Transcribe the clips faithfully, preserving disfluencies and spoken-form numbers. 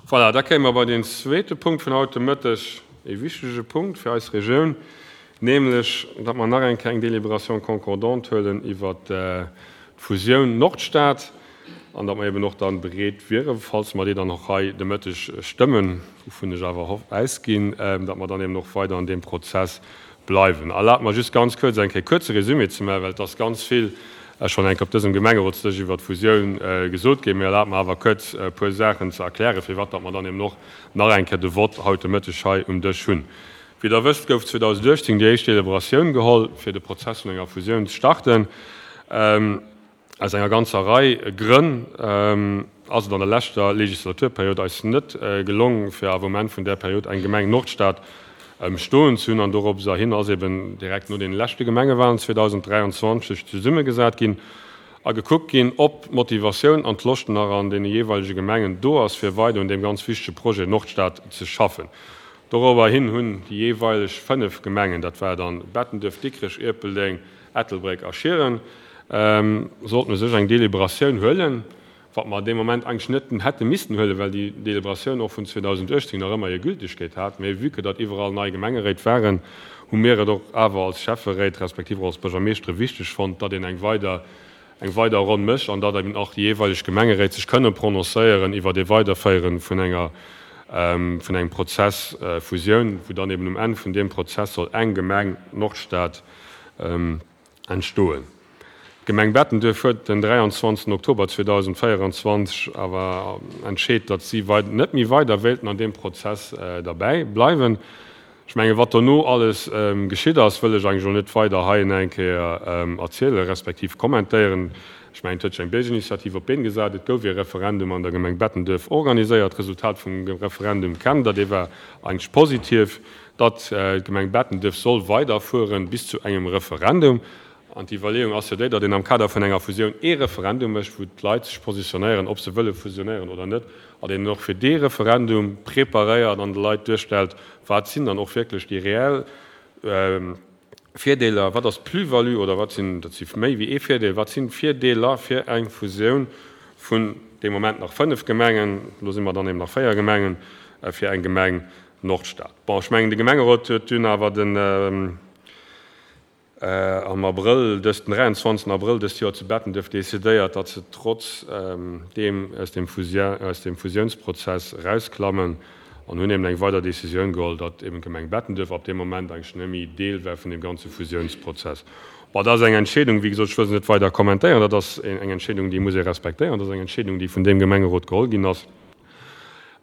Voilà, da kéime mer bei deen zweete Punkt vun haut de Mëtteg, e wichtege Punkt fir eis Regioun, nämlech datt mer nach eng Kéier eng Délibération concordante huelen iwwert d'Fusioun Nordstad an datt mer eben och dann bereet wieren, falls mer déi dann och hei de Mëtteg stëmmen, wouvun ech awer ausginn, datt mer dann eben och weider an deem Prozess bleiwen. Erlaabt mer just ganz kuerz eng Kéier kuerze Résumé ze maachen, well et ass ganz vill schonn eng Kéier op dësem Gemengerotsdësch iwwert d'Fusioun gesot ginn. Mee erlaabt mer awer kuerz e puer Saachen ze erklären, firwat datt mer dann eben och nach eng Kéier de Vott haut de Mëtteg hei um Dësch hunn. Wéi Der wësst, gouf zweedausenduechtzéng déi éischt Deliberatioun geholl, fir de Prozess vun enger Fusioun ze starten. Aus enger ganzer Rei Grënn ass et an der leschter Legislaturperiod eis net gelong, fir awer um Enn vun där Period eng Gemeng Nordstad stoen ze hunn. An doropser hin ass eben direkt no deene leschte Gemengewahlen zweedausenddräianzwanzeg zesummegesat ginn a gekuckt ginn, ob d'Motivatioun an d'Loscht nach an deene jeeweilege Gemengen do ass, fir weider un deem ganz wichtege Projet Nordstad ze schaffen. Dorobber hin hunn déi jeeweileg fënnef Gemengen, dat war dann Bettenduerf, Dikrech, Ierpeldeng, Ettelbréck a Schieren, sollten u sech eng Deliberatioun huelen, wat mer dee Moment eigentlech net hätte missten huelen, well déi Deliberatioun och vun zweedausenduechtzéng nach ëmmer hir Gültegkeet hat. Mee vue que datt iwwerall nei Gemengeréit waren, hu mir et och awer als Schäfferéit respektiv och als Buergermeeschtere wichteg fonnt, datt een eng weider eng weider Ronn mécht an datt eben och déi jeeweileg Gemengeréit sech kënne prononcéieren iwwert ee Weiderféiere vun enger vun engem Prozess Fusioun, wou dann eben um Enn vun deem Prozess soll eng Gemeng Nordstad entstoen. D'Gemeng Bettenduerf huet den dräianzwanzegsten Oktober zweedausendvéieranzwanzeg awer entscheet, datt si net méi weider wéilten an deem Prozess derbäi bleiwen. Ech mengen, wat dono alles geschitt ass, wëll ech eigentlech elo net weider hei eng Kéier erzielen, respektiv kommentéieren. Ech mengen, et huet sech eng Biergerinitiativ op d'Been gesat, et gouf ee Referendum an der Gemeng Bettenduerf organiséiert. D'Resultat vum Referendum kennt Der, dee war eigentlech positiv, datt d'Gemeng Bettenduerf soll weiderfueren bis zu engem Referendum. An d'Iwwerleeung ass jo déi, datt een am Kader vun enger Fusioun ee Referendum mécht, wou d'Leit sech positionéieren, ob se wëlle fusionéieren oder net, an een och fir dee Referendum preparéiert an de Leit duerstellt, wat sinn dann och wierklech déi reell Virdeeler, wat ass d'Plus-value oder wat sinn, dat si méi wéi ee Virdeel, wat sinn d'Virdeeler fir eng Fusioun vun dee Moment nach fënnef Gemengen, elo si mer dann eben nach véier Gemengen, fir eng Gemeng Nordstad. Bon, ech mengen, de Gemengerot huet dunn awer den, am Abrëll dëst, den dräianzwanzegsten Abrëll dëst Joer zu Bettenduerf decidéiert, datt se trotz deem aus dem aus dem Fusiounsprozess erausklammen an hunn eben eng weider Decisioun geholl, datt eben d'Gemeng Bettenduerf ab deem Moment eigentlech net méi Deel war vun deem ganze Fusiounsprozess. Bon, dat ass eng Entscheedung, wéi gesot, ech wëll se net weider kommentéieren, dat ass eng Entscheedung, déi muss ee respektéieren, dat ass eng Entscheedung, déi vun deem Gemengerot geholl ginn ass.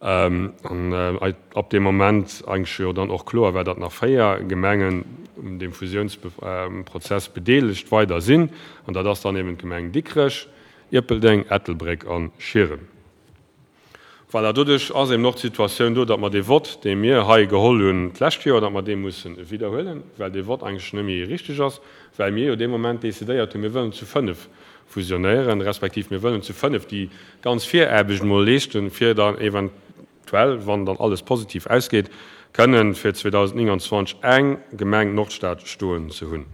An ab deem Moment eigentlech jo dann och kloer war, datt nach véier Gemengen un deem Fusiounsprozess bedeelegt weider sinn. An dat ass dann eben d'Gemeng Dikrech, Ierpeldeng, Ettelbréck a Schieren. Voilà, doduerch ass eben och d'Situatioun do, datt mer dee Vott, dee mir hei geholl hunn d'lescht Joer, datt mer dee musse widderhuelen, well dee Vott eigentlech net méi richteg ass, well mir jo dee Moment decidéiert hunn, mir wëllen zu fënnef fusionéieren, respektiv mir wëllen zu fënnef déi ganz Viraarbecht emol leeschten, fir dann eventuell, wann dann alles positiv ausgeet, kënnen fir zweedausendnénganzwanzeg eng Gemeng Nordstad stoen ze hunn.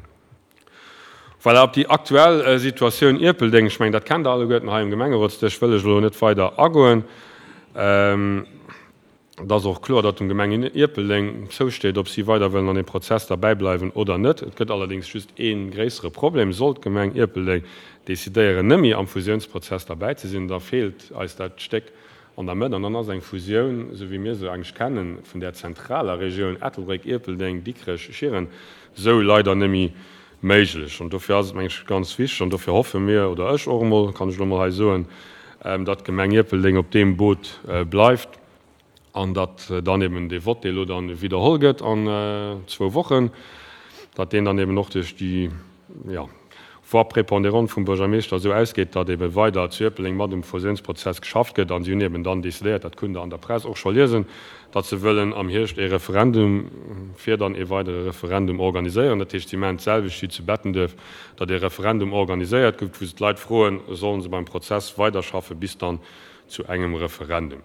Voilà, op déi aktuell Situatioun Ierpeldeng, ech mengen, dat kennt Der alleguerten hei um Gemengerotsdësch, wëll ech elo net weider agoen. Et ass och kloer, datt dem Gemeng Ierpeldeng zousteet, ob si weider wëllen an deem Prozess derbäi bleiwen oder net. Et gëtt allerdéngs just ee gréissere Problem, Sollt d'Gemeng Ierpeldeng decidéieren, net méi am Fusiounsprozess derbäi ze sinn, da feelt eis dat Stéck an der Mëtt an dann ass eng Fusioun, esou wéi mir se eigentlech kennen, vun där zentraler Regioun Ettelbréck, Ierpeldeng, Dikrech, Schieren, esou leider net méi méiglech. An dofir ass et, meng ech, ganz wichteg an dofir hoffe mir, oder ech och emol, kann ech elo emol hei soen, datt d'Gemeng Ierpeldeng op deem Boot bleift. An datt dann eben dee Vott, dee elo dann widderholl gëtt an zwou Wochen, datt deen dann eben och duerch déi, jo, Voix prépondérante vum Buergermeeschter esou ausgeet, datt ebe weider zu Ierpeldeng mat um Fusiounsprozess geschafft gëtt. An si hunn eben dann decidéiert, dat kunnt Der an der Press och scho liesen, datt se wëllen am Hierscht ee Referendum, fir dann ee weidere Referendum organiséieren. Dat heescht, si maachen d'selwecht wéi zu Bettenduerf, datt ee Referendum organiséiert gëtt, wou se d'Leit froen, sollen se beim Prozess weiderschaffe bis dann zu engem Referendum.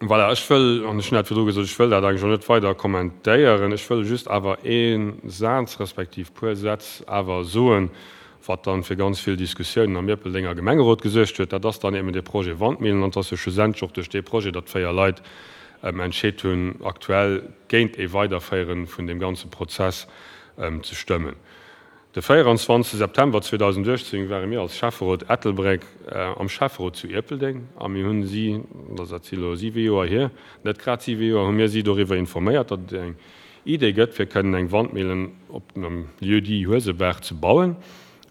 Voilà, ech wëll, an ech hunn dat virdru gesot, ech wëll dat eigentlech och net weider kommentéieren. Ech wëll just awer ee Saz respektiv puer Sätz awer soen, wat dann fir ganz vill Diskussiounen am Ierpeldenger Gemengerot gesuergt huet. Dat ass dann eben dee Projet Wandmillen an et ass jo schlussendlech och duerch dee Projet, datt véier Leit entscheet hunn, aktuell géint ee Weiderféiere vun deem ganze Prozess ze stëmmen. De véieranzwanzegste September zweedausenduechtzéng ware mir als Schäfferot Ettelbréck am Schäfferot zu Ierpeldeng a mir hunn si, dat si elo siwe Joer hier, net grad siwe Joer, hu mir si doriwwer informéiert, datt et eng Idee gëtt, fir kënnen eng Wandmillen op dem Lieu-dit Huesebaach ze bauen.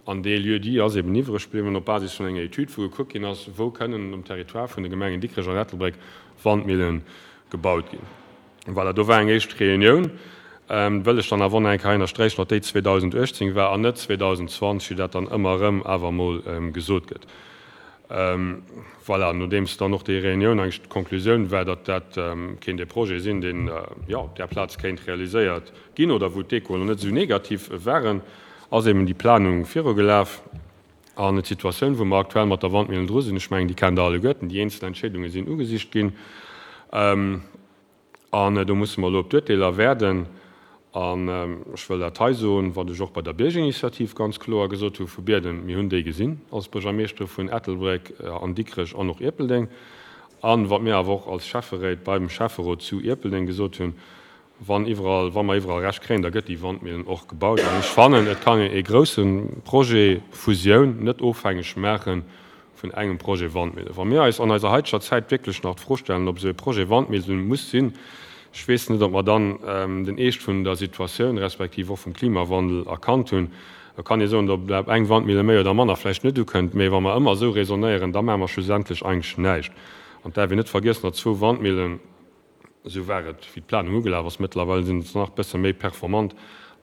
An dee Lieu-dit ass eben iwwreg bliwwen op Basis vun enger Etüd, wou gekuckt ginn ass, wou kënnen um Territoire vun de Gemengen Dikrech an Ettelbréck Wandmillen gebaut ginn. Voilà, do war eng éischt Reunioun, wëll ech dann awer och nach eng Kéier hei ënnersträichen, datt déi zweedausenduechtzéng war an net zweedausendzwanzeg, wéi dat dann ëmmer erëm awer emol gesot gëtt. Voilà, nodeems dann och déi Reunioun eigentlech d'Konklusioun war, datt dat kéint e Projet sinn, deen, jo, op där Plaz kéint realiséiert ginn oder wou d'Echoen net esou negativ waren, ass eben déi Planung virugelaf. An d'Situatioun, wou mer aktuell mat der Wandmillen dru sinn, ech mengen, déi kennt Der alleguerten, déi eenzel Entscheedunge sinn ugesicht ginn. An do musse mer elo op d'Urteeler waarden. An ech wëll dat hei soen, wat ech och bei der Biergerinitiativ ganz kloer gesot hu vu Bierden, Mir hunn déi gesinn als Buergermeeschtere vun Ettelbréck an Dikrech an och Ierpeldeng. A wat mir awer och als Schäfferéit beim Schäfferot zu Ierpeldeng gesot hunn, Wann iwwerall, wa mer iwwerall Recht kréien, da gëtt déi Wandmillen och gebaut. An ech fannen, et kann een ee grousse Projet Fusioun net ofhängeg maache vun engem Projet Wandmillen. Wa mir eis an eiser haiteger Zäit wierklech nach d'Fro stellen, ob esou e Projet Wandmillen muss sinn, ech weess net, ob mer dann den Eescht vun der Situatioun respektiv och vum Klimawandel erkannt hunn. Et kann ee soen, ob eng Wandmille méi oder manner vläicht net ukënnt, mee wa mer ëmmer esou raisonnéieren, da maache mer schlussendlech eigentlech näischt. An et däerf een net vergiessen, datt zwou Wandmillen, Esou war et, wéi d'Planung ugelaf ass. Mëttlerweil sinn se nach e bësse méi performant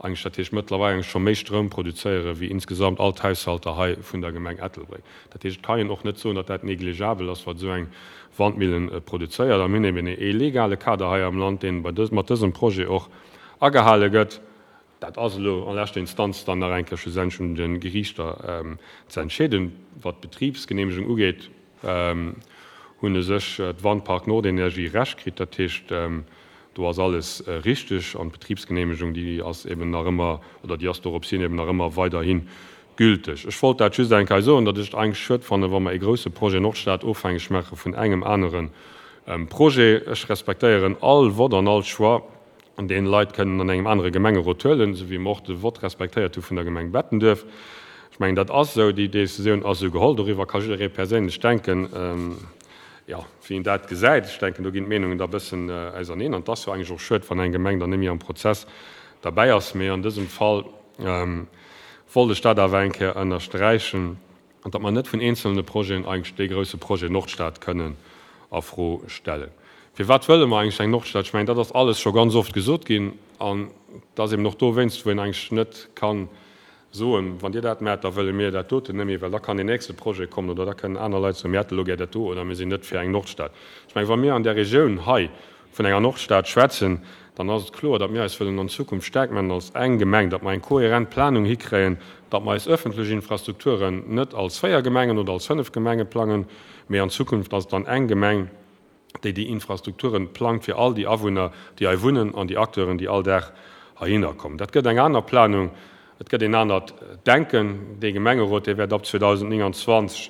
eigentlech, dat heescht mëttlerweil eigentlech scho méi Stroum produzéiere wéi insgesamt all d'Haushalter hei vun der Gemeng Ettelbréck. Dat heescht, et kann een och net soen, datt dat négligeabel ass, wat esou eng Wandmillen produzéiert. A mir hunn eben ee legale Kader hei am Land, deen bei dës, mat dësem Projet och agehale gëtt. Dat ass elo an leschter Instanz dann nach eng Kéier schlussendlech un de Geriichter ze entscheeden. Wat d'Betribsgeneemegung ugeet, hunn u sech d'Wandpark Nordenergie Recht kritt. Dat heescht, do ass alles richteg an d'Betribsgeneemegung, déi ass eben nach ëmmer, oder déi ass dorops hin eben nach ëmmer weiderhi gülteg. Ech wollt dat just eng Kéier soen, datt ech et eigentlech schued fannen, wa mer ee grouse Projet Nordstad ofhängeg maache vun engem anere Projet. Ech respektéieren all Vott an all Choix, deen Leit kënnen an engem anere Gemengerot huelen, esou wéi mer och de Vott respektéiert hu vun der Gemeng Bettenduerf. Ech mengen, dat ass esou, déi Décisioun ass esou geholl. Doriwwer ka jidderee perséinlech denken, jo, wéi en dat gesäit. Ech denken, do ginn d'Meenungen da e bëssen auserneen. An et ass jo eigentlech och schued, wann eng Gemeng dann net méi am Prozess derbäi ass. Mee an dësem Fall wollt ech dat awer eng Kéier ënnersträichen, datt mer net vun eenzelne Projeten eigentlech dee grouse Projet Nordstad kënnen a Fro stellen. Firwat wëlle mer eigentlech eng Nordstad? Ech mengen, dat ass alles scho ganz oft gesot ginn. An et ass eben och dowéinst, wou een eigentlech net ka soen, Wann Dir dat maacht, da wëlle mir dat doten net méi, well da kann deen nächste Projet kommen oder da kënnen aner Leit soen, mir hätte elo gär dat do oder mir sinn net fir eng Nordstad. Ech mengen, wa mir an där Regioun hei vun enger Nordstad schwätzen, dann ass et kloer, datt mir eis wëllen an Zukunft staark maachen als eng Gemeng, datt mer eng kohärent Planung hikréien, datt mer eis öffentlech Infrastrukturen net als véier Gemengen oder als fënnef Gemenge plangen, mee an Zukunft ass et dann eng Gemeng, déi déi Infrastrukturen plangt fir all déi Awunner, déi hei wunnen an déi Acteuren, déi all Dag heihinner kommen. Dat gëtt eng aner Planung, et gëtt een anert Denken. Dee Gemengerot, dee wäert ab zweedausendnénganzwanzeg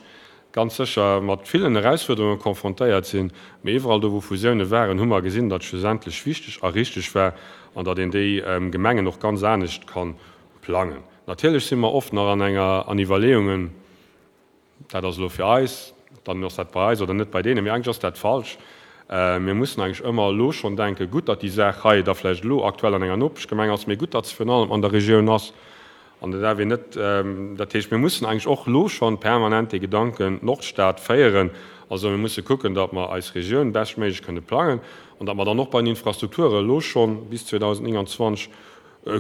ganz sécher mat villen Erausfuerderunge konfrontéiert sinn, mee iwwerall do, wou Fusioune waren, hu mer gesinn, datt et schlussendlech wichteg a richteg war an datt een déi Gemengen och ganz anescht ka plangen. Natierlech si mer oft nach an enger, an Iwwerleeungen, dat ass elo fir eis, dann ass dat bei eis oder net bei deenen, mee eigentlech ass dat falsch. Mir mussen eigentlech ëmmer elo schonn denken, gutt, datt déi Saach hei da vläicht elo aktuell an enger Nopeschgemeng ass, mee gutt, datt se virun allem an der Regioun ass an dat darf een net, dat heescht, mir mussen eigentlech och elo schonn permanent dee Gedanken Nordstad féieren. Also mir musse kucken, datt mer eis Regioun beschtméiglech kënne plangen an datt mer dann och bei den Infrastrukture elo schonn bis zweedausendnénganzwanzeg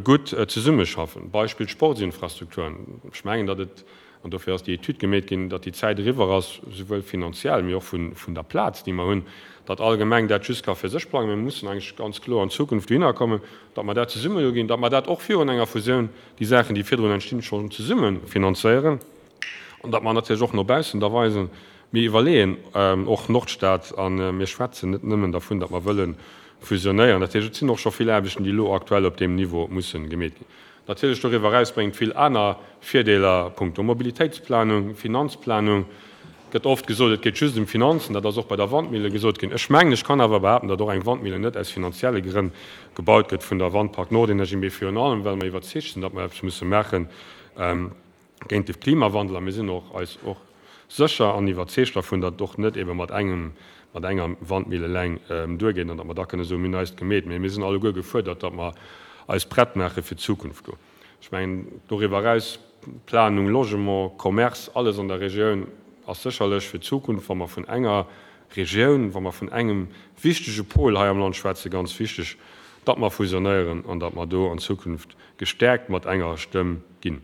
gutt zesummeschaffen. Beispill d'Sportsinfrastrukturen. Ech mengen, datt et, an dofir ass déi Etüd gemeet ginn, datt déi Zäit eriwwer ass, souwuel finanziell, mee och vun der Plaz, déi mer hunn, datt all Gemeng dat just ka fir sech plangen. Mir mussen eigentlech ganz kloer an Zukunft dohinner kommen, datt mer dat zesumme uginn, datt mer dat och virun enger Fusioun, déi Saachen, déi virdrun entstinn, schonn zesumme finanzéieren an datt mer natierlech och no baussen da weisen, mir iwwerleeën och Nordstad a mir schwätzen net nëmmen dervun, datt mer wëlle fusionéieren. Dat heescht, et sinn och scho vill Aarbechten, déi elo aktuell op deem Niveau mussen gemeet ginn. Natierlech doriwwer eraus bréngt vill aner Virdeeler punkto Mobilitéitsplanung, Finanzplanung. Et gëtt oft gesot, et geet just ëm Finanzen. Dat ass och bei der Wandmille gesot ginn. Ech mengen, ech kann awer behaapten, datt och eng Wandmille net aus finanzielle Grënn gebaut gëtt vun der Wandpark Nordenergie, mee virun allem, well mer iwwerzeegt sinn, datt mer eppes musse maache géint de Klimawandel. A mir sinn och eis och sécher an iwwerzeegt dervun, datt et och net ebe mat engem, mat enger Wandmille eleng duergeet an datt mer da kënne soen, mir hunn eist gemeet. Mee mir sinn alleguer gefuerdert, datt mer eis prett maache fir d'Zukunft do. Ech mengen, doriwwer eraus, Planung, Logement, Commerce, alles an der Regioun ass sécherlech fir d'Zukunft, wa mer vun enger Regioun, wa mer vun engem wichtege Pol hei am Land schwätzen, ganz wichteg, datt mer fusionéieren an datt mer do an Zukunft gestärkt mat enger Stëmm ginn.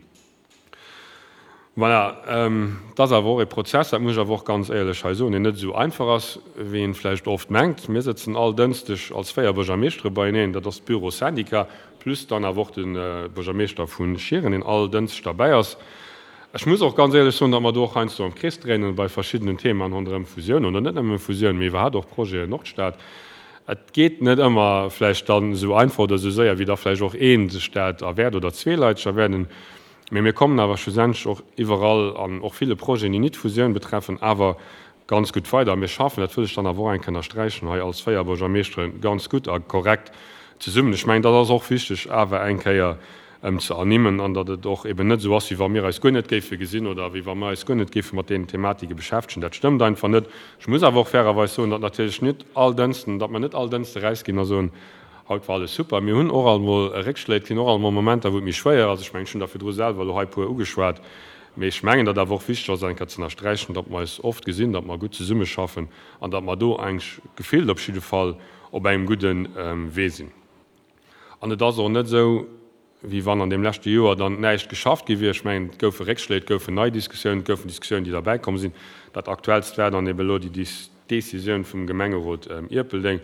Voilà, et ass awer och e Prozess, dat muss ech awer och ganz éierlech hei soen, deen net esou einfach ass, wéi een vläicht oft mengt. Mir sëtzen all Dënschdeg als véier Buergermeeschtere beieneen, dat ass d'Büro-Syndicat, plus dann awer och de Buergermeeschter vu Schieren, deen all Dënschdeg derbäi ass. Ech muss och ganz éierlech soen, datt mer do och heiansdo am Krees dréinen bei verschiddenen Themaen ronderëm Fusioun, oder net nëmme Fusioun, mee iwwerhaapt och Projeten Nordstad. Et geet net ëmmer vläicht dann esou einfach oder esou séier, wéi da vläicht och ee sech dat erwäert oder zwee Leit sech erwäerden. Mee mir kommen awer schlussendlech och iwwerall an och ville Projeten, déi nit d'Fusioun betreffen, awer ganz gutt weider. A mir schaffen, dat wëll ech dann awer och eng Kéier ënnersträichen hei als véier Buergermeeschtere ganz gutt a korrekt zesummen. Ech mengen, dat ass och wichteg awer eng Kéier ze ernimmen an datt et och eben net esou ass, wéi wa mir eis guer net géife gesinn oder wéi wa mir eis guer net géife mat deenen Thematike beschäftegen. Dat stëmmt einfach net. Ech muss awer och fairerweis soen, datt natierlech net all Dënschden, datt mer net all Dënschde erausginn a soen, Haut war alles super. Mir hunn och alt mol Réckschléi, et ginn och alt mol Momenter, wou et méi schwéier ass. Ech mengen, ech hunn der virdru selwer elo hei e puer ugeschwat. Mee ech mengen, datt awer och wichteg ass, eng Kéier ze ënnersträichen, datt mer eis oft gesinn, datt mer gutt zesummeschaffen an datt mer do eigentlech gefillt op jidde Fall op engem gudde Wee sinn. An et ass och net esou, wéi wann an deem leschte Joer dann näischt geschafft gi wier. Ech mengen, et goufe Réckschléi, et goufen nei Diskussiounen, et goufen Diskussiounen, déi derbäikomm sinn. Dat Aktuellst war dann eben elo déi Décisioun vum Gemengerot Ierpeldeng.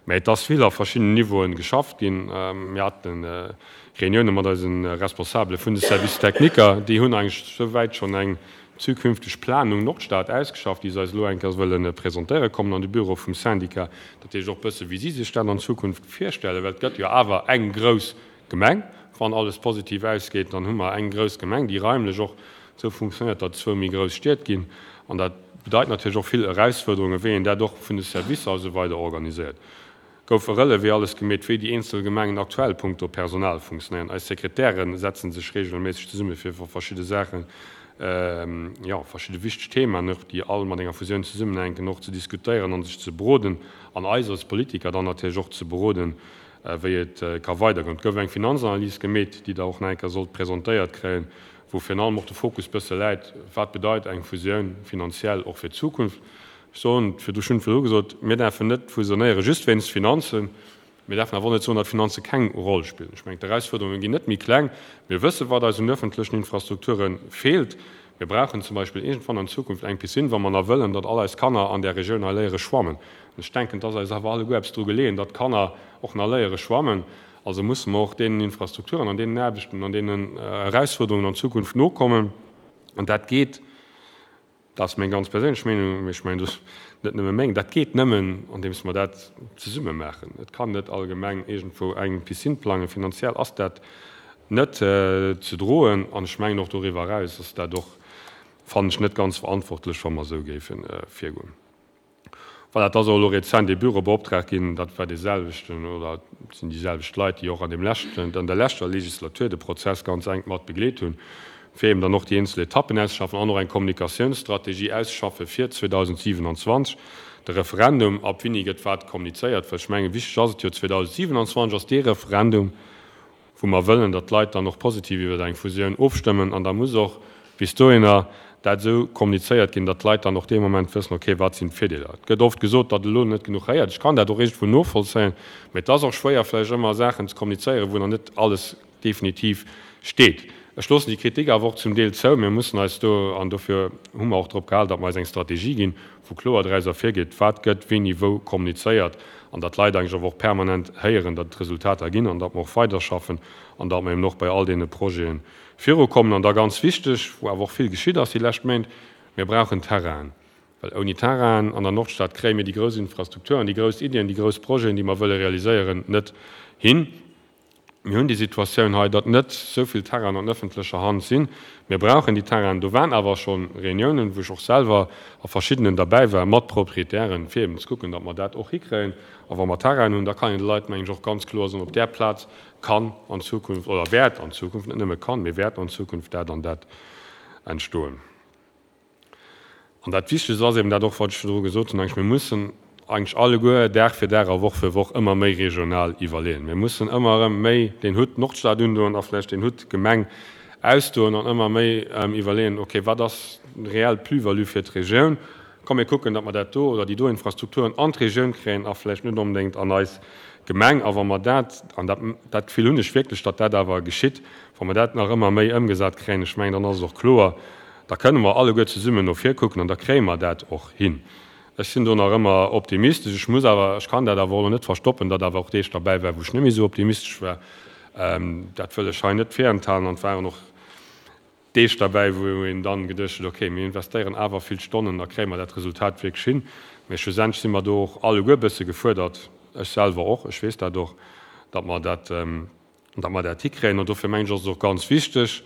Mä et ass vill a verschiddenen Niveauen geschafft ginn. Mir hate Reunioune mat eise Responsabele vun de Services techniques. Déi hunn eigentlech souwäit schonn eng zukünfteg Planung Nordstad ausgeschafft, déi se eis elo eng Kéier wëlle presentéiere kommen an de Büro vum Syndicat. Dat heescht och e bësse wéi si sech dat an Zukunft virstellen, well et gëtt jo awer eng grouss Gemeng. Wann alles positiv ausgeet, dann hu mer eng grouss Gemeng, déi raimlech och esou funktionéiert, datt et zwou méi grouss Stied ginn. An dat bedeit natierlech och vill Erausfuerderungen, wéi een dat och vun de Servicer a sou weider organiséiert. Gouf e Relevé alles gemeet, wéi déi eenzel Gemengen aktuell punkto Personal funktionéieren. Eis Sekretäre setze sech reegelméisseg zesumme fir iwwer verschidde Saachen, jo, verschidde wichteg Themaen och, déi all mat enger Fusioun zesummenhänken, och ze diskutéieren a sech ze beroden an eis als Politiker dann natierlech och ze beroden, wéi et ka weidergoen. Et gouf eng Finanzanalys gemeet, déi Der och nach eng Kéier sollt presentéiert kréien, wou virun allem och de Fokus bësse läit, Wat bedeit eng Fusioun finanziell och fir d'Zukunft? Ech soen et virdru, ech hunn et virdru gesot, mir däerfen net fusionéiere just wéinst Finanzen. Mir däerfen awer och net soen, datt Finanze keng Roll spillen. Ech mengen, d'Erausfuerderunge ginn net méi kleng. Mir wëssen, wat eis un öffentlechen Infrastrukture feelt. Mir brauchen zum Beispill iergendwann an Zukunft eng Piscine, wa mer nach wëllen, datt all eis Kanner an där Regioun hei léiere schwammen. An ech denken, et ass eis awer alleguer eppes dru geleeën, datt d'Kanner och nach léiere schwammen. Also musse mer och deenen Infrastrukturen an deenen Aarbechten an deenen Erausfuerderungen an Zukunft nokommen. An dat geet, dat ass meng ganz perséinlech Meenung, mee ech mengen, dat ass net nëmme meng, dat geet nëmmen, andeems mer dat zesumme maachen. Et kann net all Gemeng iergendwou eng Piscine plangen. Finanziell ass dat net ze droen. An ech mengen och doriwwer eraus ass dat och, fannen ech, net ganz verantwortlech, wa mer esou géife virgoen. Voilà, et ass och elo rezent ee Büro beoptraagt ginn, dat war dee selwechten oder et sinn déi selwecht Leit, déi och an deem leschten, an der leschter Legislatur de Prozess ganz enk mat begleet hunn, fir eben dann och déi eenzel Etappen auszeschaffen an och eng Kommunikatiounsstrategie auszeschaffen fir zweedausendsiewenundzwanzeg de Referendum. Ab wéini gëtt wat kommunizéiert? Well ech mengen, wichteg ass et jo, zweedausendsiewenundzwanzeg ass dee Referendum, wou mer wëllen, datt d'Leit dann och positiv iwwer eng Fusioun ofstëmmen. An da muss och bis dohinner dat esou kommunizéiert ginn, datt d'Leit dann och dee Moment wëssen, okay, wat sinn d'Virdeeler. Et gëtt oft gesot, datt elo net genuch héiert. Ech kann dat och iergendwou novollzéien, mä et ass och schwéier vläicht ëmmer Saachen ze kommunizéieren, wou nach net alles definitiv steet. Ech loossen déi Kritik awer och zum Deel zou. Mir mussen eis do, an dofir hu mer och drop gehal, datt mer eis eng Strategie ginn, wou kloer draus ervirgeet, wat gëtt wéini wou kommunizéiert, an datt d'Leit eigentlech awer och permanent héieren, datt et Resultater ginn an datt mer och weiderschaffen an datt mer eben och bei all deene Projete virukommen. An da ganz wichteg, wou awer och vill geschitt ass déi lescht Méint, Mir brauchen Terrainen, well ouni Terrainen an der Nordstad kréie mir déi grouss Infrastrukturen, déi grouss Iddien, déi grouss Projeten, déi mer wëlle realiséieren, net hin. Mir hunn déi Situatioun hei, datt net esou vill Terrainen an ëffentlecher Hand sinn. Mir brauchen déi Terrainen. Do waren awer scho Reuniounen, wou ech och selwer a verschiddenen derbäi war, mat Proprietären, fir eben ze kucken, datt mer dat och hikréien. A wa mer Terrainen hunn, da kann een de Leit, mengen ech, och ganz kloer soen, op där Plaz kann an Zukunft oder wäert an Zukunft, net nëmme kann, mee wäert an Zukunft dat an dat entstoen. An dat Wichtegst ass eben dat och, wat ech virdru gesot hunn, eigentlech, mir mussen eigentlech alleguer Dag fir Dag a Woch fir Woch ëmmer méi regional iwwerleeën. Mir mussen ëmmer erëm méi deen Hutt Nordstad undoen a vläicht deen Hutt Gemeng ausdoen an ëmmer méi iwwerleeën, okay, wat ass reell Plus-value fir d'Regioun? Komm mir kucken, datt mer dat do oder déi do Infrastrukturen an d'Regioun kréien a vläicht net onbedéngt an eis Gemeng. A wa mer dat, an dat, dat Gefill hunn ech wierklech, datt dat awer geschitt, wa mer dat nach ëmmer méi ëmgesat kréien, ech mengen, dann ass et och kloer, da kënne mer alleguer zesummen no vir kucken an da kréie mer dat och hin. Ech sinn do nach ëmmer optimistesch. Ech muss awer, ech kann dat awer och elo net verstoppen, datt awer och Deeg derbäi waren, wou ech net méi esou optimistesch war. Dat wëll ech hei net virenthalen. An et waren och Deeg derbäi, wou een dann geduecht huet, okay, mir investéieren awer vill Stonnen, da kréie mer dat Resultat wierklech hin. Mee schlussendlech si mer do och alleguer e bësse gefuerdert, ech selwer och, ech weess dat och, datt mer dat, datt mer dat hikréien. An dofir mengen ech, ass et och ganz wichteg,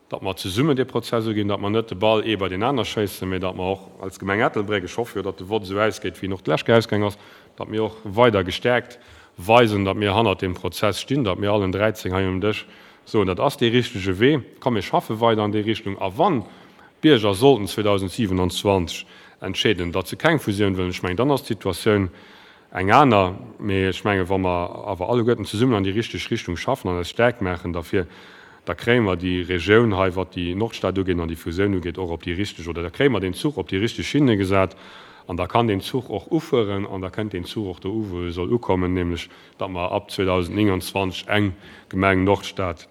datt mer zesummen dee Prozess uginn, datt mer net de Ball ee bei deen aner schéissen, mee datt mer och als Gemeng Ettelbréck, ech hoffe jo, datt de Vott esou ausgeet, wéi en och d'lescht Kéier ausgaang ass, datt mir och weider gestärkt weisen, datt mir hannert deem Prozess stinn, datt mir allen dräizéng hei um Dësch soen, dat ass dee richtege Wee, komm mir schaffe weider an déi Richtung. A wann d'Bierger sollten zweedausendsiwenanzwanzeg entscheeden, datt se keng Fusioun wëllen, ech mengen, dann ass d'Situatioun eng aner. Mee ech mengen, wa mer awer alleguerten zesummen an déi richteg Richtung schaffen an eis staark maachen derfir, da kréie mer déi Regioun hei, wat déi Nordstad ugeet an déi Fusioun ugeet, och op déi richteg, oder da kréie mer deen Zuch op déi richteg Schinne gesat an da kann deen Zuch och ufueren an da kënnt deen Zuch och do u wou e soll ukommen, nämlech datt mer ab zweedausendnénganzwanzeg eng Gemeng Nordstad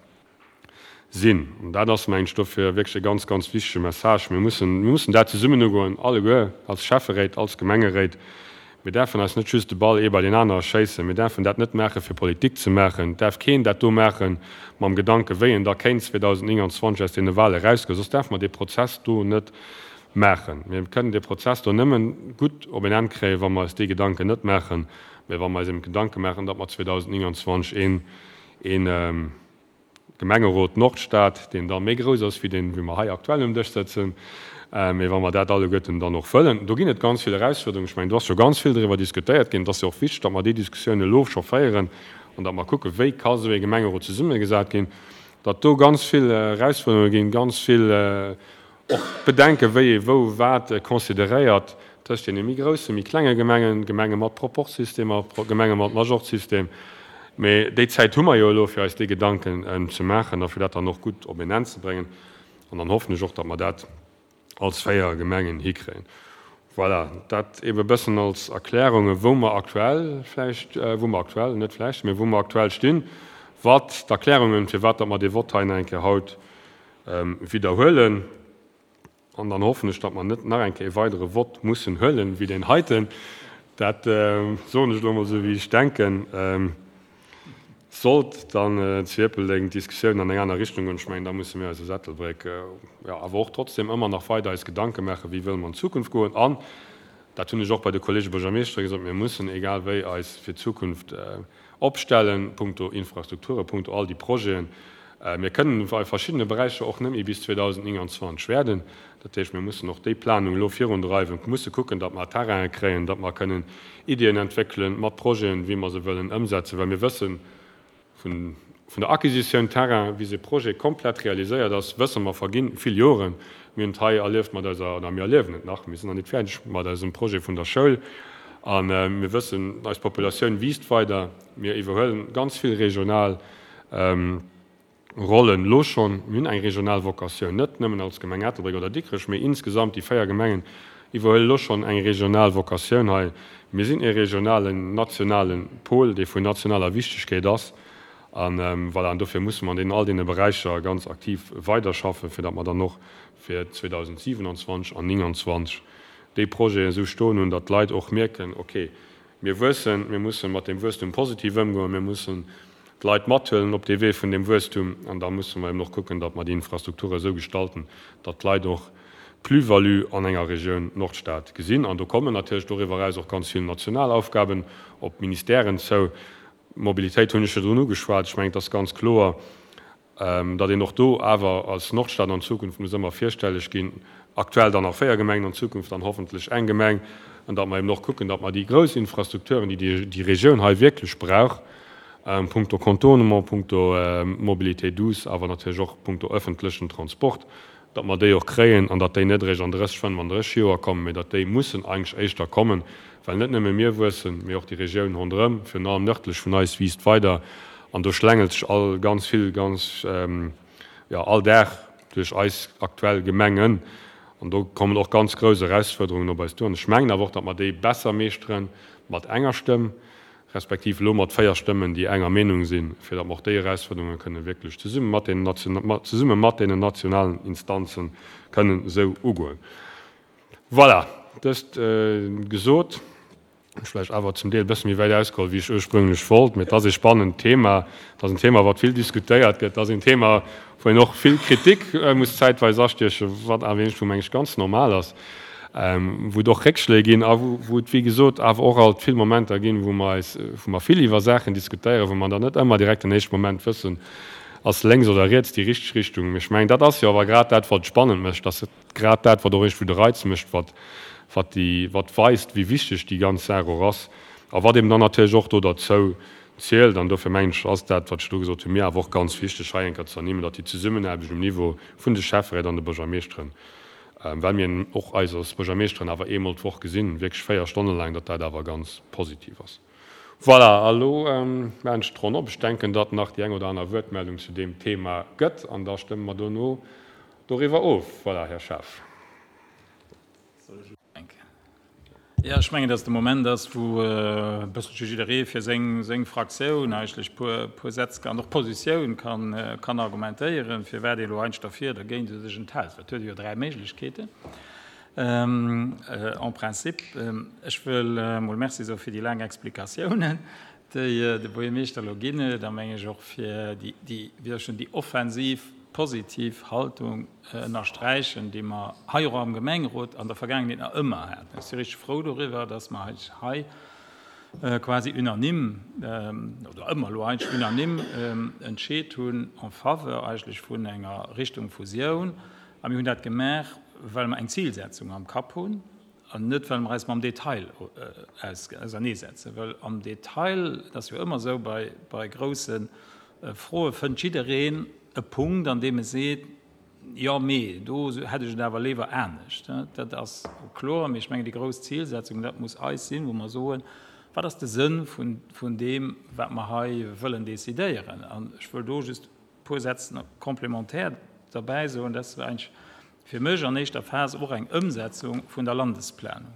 sinn. An dat ass, mengen ech, dofir wierklech e ganz, ganz wichtege Message. Mir mussen, mir mussen dat zesummen ugoen, alleguer, als Schäfferéit, als Gemengeréit. Mir däerfen eis net just de Ball ee bei deen anere schéissen. Mir däerfen dat net maachen, fir Politik ze maachen. Et däerf keen dat do maache mam Gedanken, wéi en da kéint zweedausendnénganzwanzeg aus deene Wale erausgoen. Soss däerfe mer dee Prozess do net maachen. Mir kënnen dee Prozess do nëmmen gutt op en Enn kréien, wa mer eis dee Gedanken net maachen, mä wa mer eis eben d'Gedanke maachen, datt mer zweedausendnénganzwanzeg een, een Gemengerot Nordstad, deen da méi grouss ass wéi deen, wéi mer hei aktuell um Dësch sëtzen, mee wa mer dat alleguerten dann och wëllen. Do ginn et ganz vill Erausfuerderungen. Ech mengen, do ass scho ganz vill driwwer diskutéiert ginn. Et ass jo och wichteg, datt mer déi Diskussioun elo scho féieren an datt mer kucken, wéi ka esou ee Gemengerot zesummegesat ginn, datt do ganz vill Erausfuerderunge ginn, ganz vill och Bedenken, wéi ee wou wat consideréiert tëscht deene méi groussen, méi klenge Gemengen, Gemenge mat Proportsystem a Gemenge mat Majorzsystem. Mee déi Zäit hu mer jo elo, fir eis déi Gedanken ze maachen a fir dat dann och gutt op een Enn ze bréngen. An dann hoffen ech och, datt mer dat als véier Gemengen hikréien. Voilà, dat eebe bëssen als Erklärungen, wou mer aktuell vläicht, wou mer aktuell, net vläicht, mee wou mer aktuell stinn, wat d'Erklärungen, firwat datt mer dee Vott hei nach eng Kéier haut widderhuelen. An dann hoffen ech, datt mer net nach eng Kéier e weidere Vott mussen huelen, wéi deen heiten. Dat soen ech elo emol esou, wéi ech denken. Sollt dann zu Ierpeldeng d'Diskussioun an eng aner Richtung goen, ech mengen, da musse mir eis als Ettelbréck jo awer och trotzdem ëmmer nach weider eis Gedanke maachen, wéi wëlle mer an d'Zukunft goen. An, dat hunn ech och bei de Kollege Buergermeeschtere gesot, mir mussen egal wéi eis fir d'Zukunft opstellen, punkto Infrastrukture, punkto all déi Projeten. Mir kënnen a verschiddene Beräicher och net méi bis zweedausendnénganzwanzeg wäerden. Dat heescht, mir mussen och déi Planung elo virundreiwen, musse kucken, datt mer Terrainen kréien, datt mer kënnen Iddien entwéckelen mat Projeten, wéi mer se wëllen ëmsetzen, well mir wëssen vun der Acquisitioun Terrain, bis e Projet komplett realiséiert ass, wësse mer, verginn vill Joren. Mir hunn et hei erlieft mat eiser, oder mir erliewen et nach, mir sinn nach net fäerdeg mat eisem Projet vun der Schoul. A mir wëssen, eis Populatioun wiisst weider. Mir iwwerhuelen ganz vill regional Rollen elo schonn. Mir hunn eng regional Vocatioun, net nëmmen als Gemeng Ettelbréck oder Dikrech, mee insgesamt déi véier Gemengen iwwerhuelen elo schonn eng regional Vocatioun hei. Mir sinn e regionalen, nationale Pol, dee vun nationaler Wichtigkeet ass. An voilà, an dofir musse mer an deenen all deene Beräicher ganz aktiv weiderschaffen, fir datt mer dann och fir zweedausendsiewenundzwanzeg an nénganzwanzeg déi Projeten esou stoen hunn, datt d'Leit och mierken, okay, mir wuessen, mir mussen mat deem Wuesstum positiv ëmgoen, mir mussen d'Leit mathuelen op dee Wee vun deem Wuesstum, an da musse mer eben och kucken, datt mer déi Infrastrukture esou gestalten, datt d'Leit och d'Plus-value an enger Regioun Nordstad gesinn. An do kommen natierlech doriwwer eraus och ganz vill national Aufgaben op d'Ministèren zou. Mobilitéit hunn ech virdrun ugeschwat. Ech mengen, et ass ganz kloer, datt een och do awer als Nordstad an Zukunft muss ëmmer virstelleg ginn, aktuell dann nach véier Gemengen, an Zukunft dann hoffentlech eng Gemeng, an datt mer eben och kucken, datt mer déi grouss Infrastrukturen, déi déi Regioun hei wierklech brauch, punkto Contournement, punkto Mobilité douce, awer natierlech och punkto öffentlechen Transport, datt mer déi och kréien an datt déi net eréischt an drësseg, fënnefandrësseg Joer kommen, mee datt déi mussen eigentlech éischter kommen, well net nëmme mir wuessen, mee och déi Regioun ronderëm, virun allem nördlech vun eis, wiisst weider an do schlängelt sech all ganz vill ganz, jo, all Dag duerch eis aktuell Gemengen an do kommen och ganz grouss Erausfuerderungen op eis duer. An ech mengen awer och, datt mer déi besser meeschteren mat enger Stëmm, respektiv elo mat véier Stëmmen, déi enger Meenung sinn, fir datt mer och déi Erausfuerderunge kënnen wierklech zesumme mat deenen zesumme mat deenen nationalen Instanze kënnen esou ugoen. Voilà, dëst gesot, hunn ech vläicht awer zum Deel e bësse méi wäit ausgeholl, wéi ech ursprünglech wollt, mee et ass ee spannend Thema, et ass en Thema, wat vill diskutéiert gëtt, et ass een Thema, wou een och vill Kritik muss zäitweis astiechen, wat awer iergendwou, meng ech, ganz normal ass. wou et och Réckschléi ginn a wou et, wéi gesot, awer och alt vill Momenter ginn, wou mer eis, wou mer vill iwwer Saachen diskutéieren, wou mer dann net ëmmer direkt den éischte Moment wëssen, ass lénks oder riets déi richteg Richtung. Mee ech mengen, dat ass jo awer grad dat, wat et spannend mécht, dat ass grad dat, wat och iergendwou de Reiz mécht, wat, wat déi, wat weist, wéi wichteg déi ganz Saach och ass a wat eben dann natierlech och do derzou zielt. An dofir mengen ech, ass dat, wat ech elo gesot hunn, mir awer och ganz wichteg hei eng Kéier ze ernimmen, datt déi Zesummenaarbecht um Niveau vun de Schäfferéit an de Buergermeeschteren, well mir och eis als Buergermeeschteren awer eemol d'Woch gesinn, wierklech véier Stonne laang, datt dat awer ganz positiv ass. Voilà, a lo maachen ech d'Ronn op. Ech denken, datt nach déi eng oder aner Wuertmeldung zu deem Thema gëtt, an da stëmme mer dono doriwwer of. Voilà, Här Schaaf. Jo, ech mengen, datt de Moment ass, wou e bësselche jidderee fir seng, seng Fraktioun eigentlech e puer, puer Sätz an och Positioun kann, kann argumentéieren, firwat ee elo eigentlech derfir, dergéint oder sech enthält. Well et huet ee jo dräi Méiglechkeeten en principe. Ech wëll emol Merci soe fir déi laang Explikatiounen, déi de Buergermeeschter elo ginn huet, a meng ech och fir déi, déi, wéi soll ech soen, déi offensiv, positiv Haltung ënnersträichen, déi mer hei och am Gemengerot an der Vergaangenheet nach ëmmer haten. Ech si richteg frou doriwwer, dass mer hei quasi unanime, oder ëmmer elo eigentlech unanime entscheet hunn en faveur eigentlech vun enger Richtung Fusioun. A mir hunn dat gemaach, well mer eng Zilsetzung am Kapp hunn an net, well mer eis mam Detail auserneesetzen. Well am Detail, et ass jo ëmmer esou bei, bei grousse Froe, fënnt jiddereen e Punkt, an deem e seet, Jo, mee do hätt ech et awer léiwer anescht. Dat ass kloer. Mee ech mengen, déi grouss Zilsetzung, dat muss eis sinn, wou mer soen, Wat ass de Sënn vun deem, wat mer hei wëllen decidéieren? An ech wëll do just e puer Sätz complémentaire derbäi soen. Dat ass eigentlech fir mech an éischter Phas och eng Ëmsetzung vun der Landesplanung.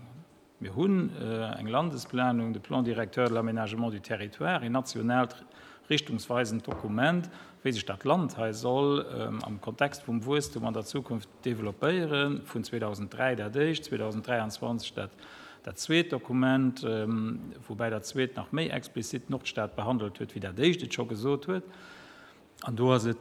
Mir hunn eng Landesplanung, de Plan directeur de l'aménagement du territoire, een nationaalt richtungsweisend Dokument, wéi sech dat Land hei soll am Kontext vum Wuesstum an der Zukunft developpéieren, vun zweedausenddräi dat éischt, zweedausenddräianzwanzeg dat dat zweet Dokument, woubäi dat zweet nach méi explizit d'Nordstad behandelt huet, wéi dat éischt et scho gesot huet. An do ass et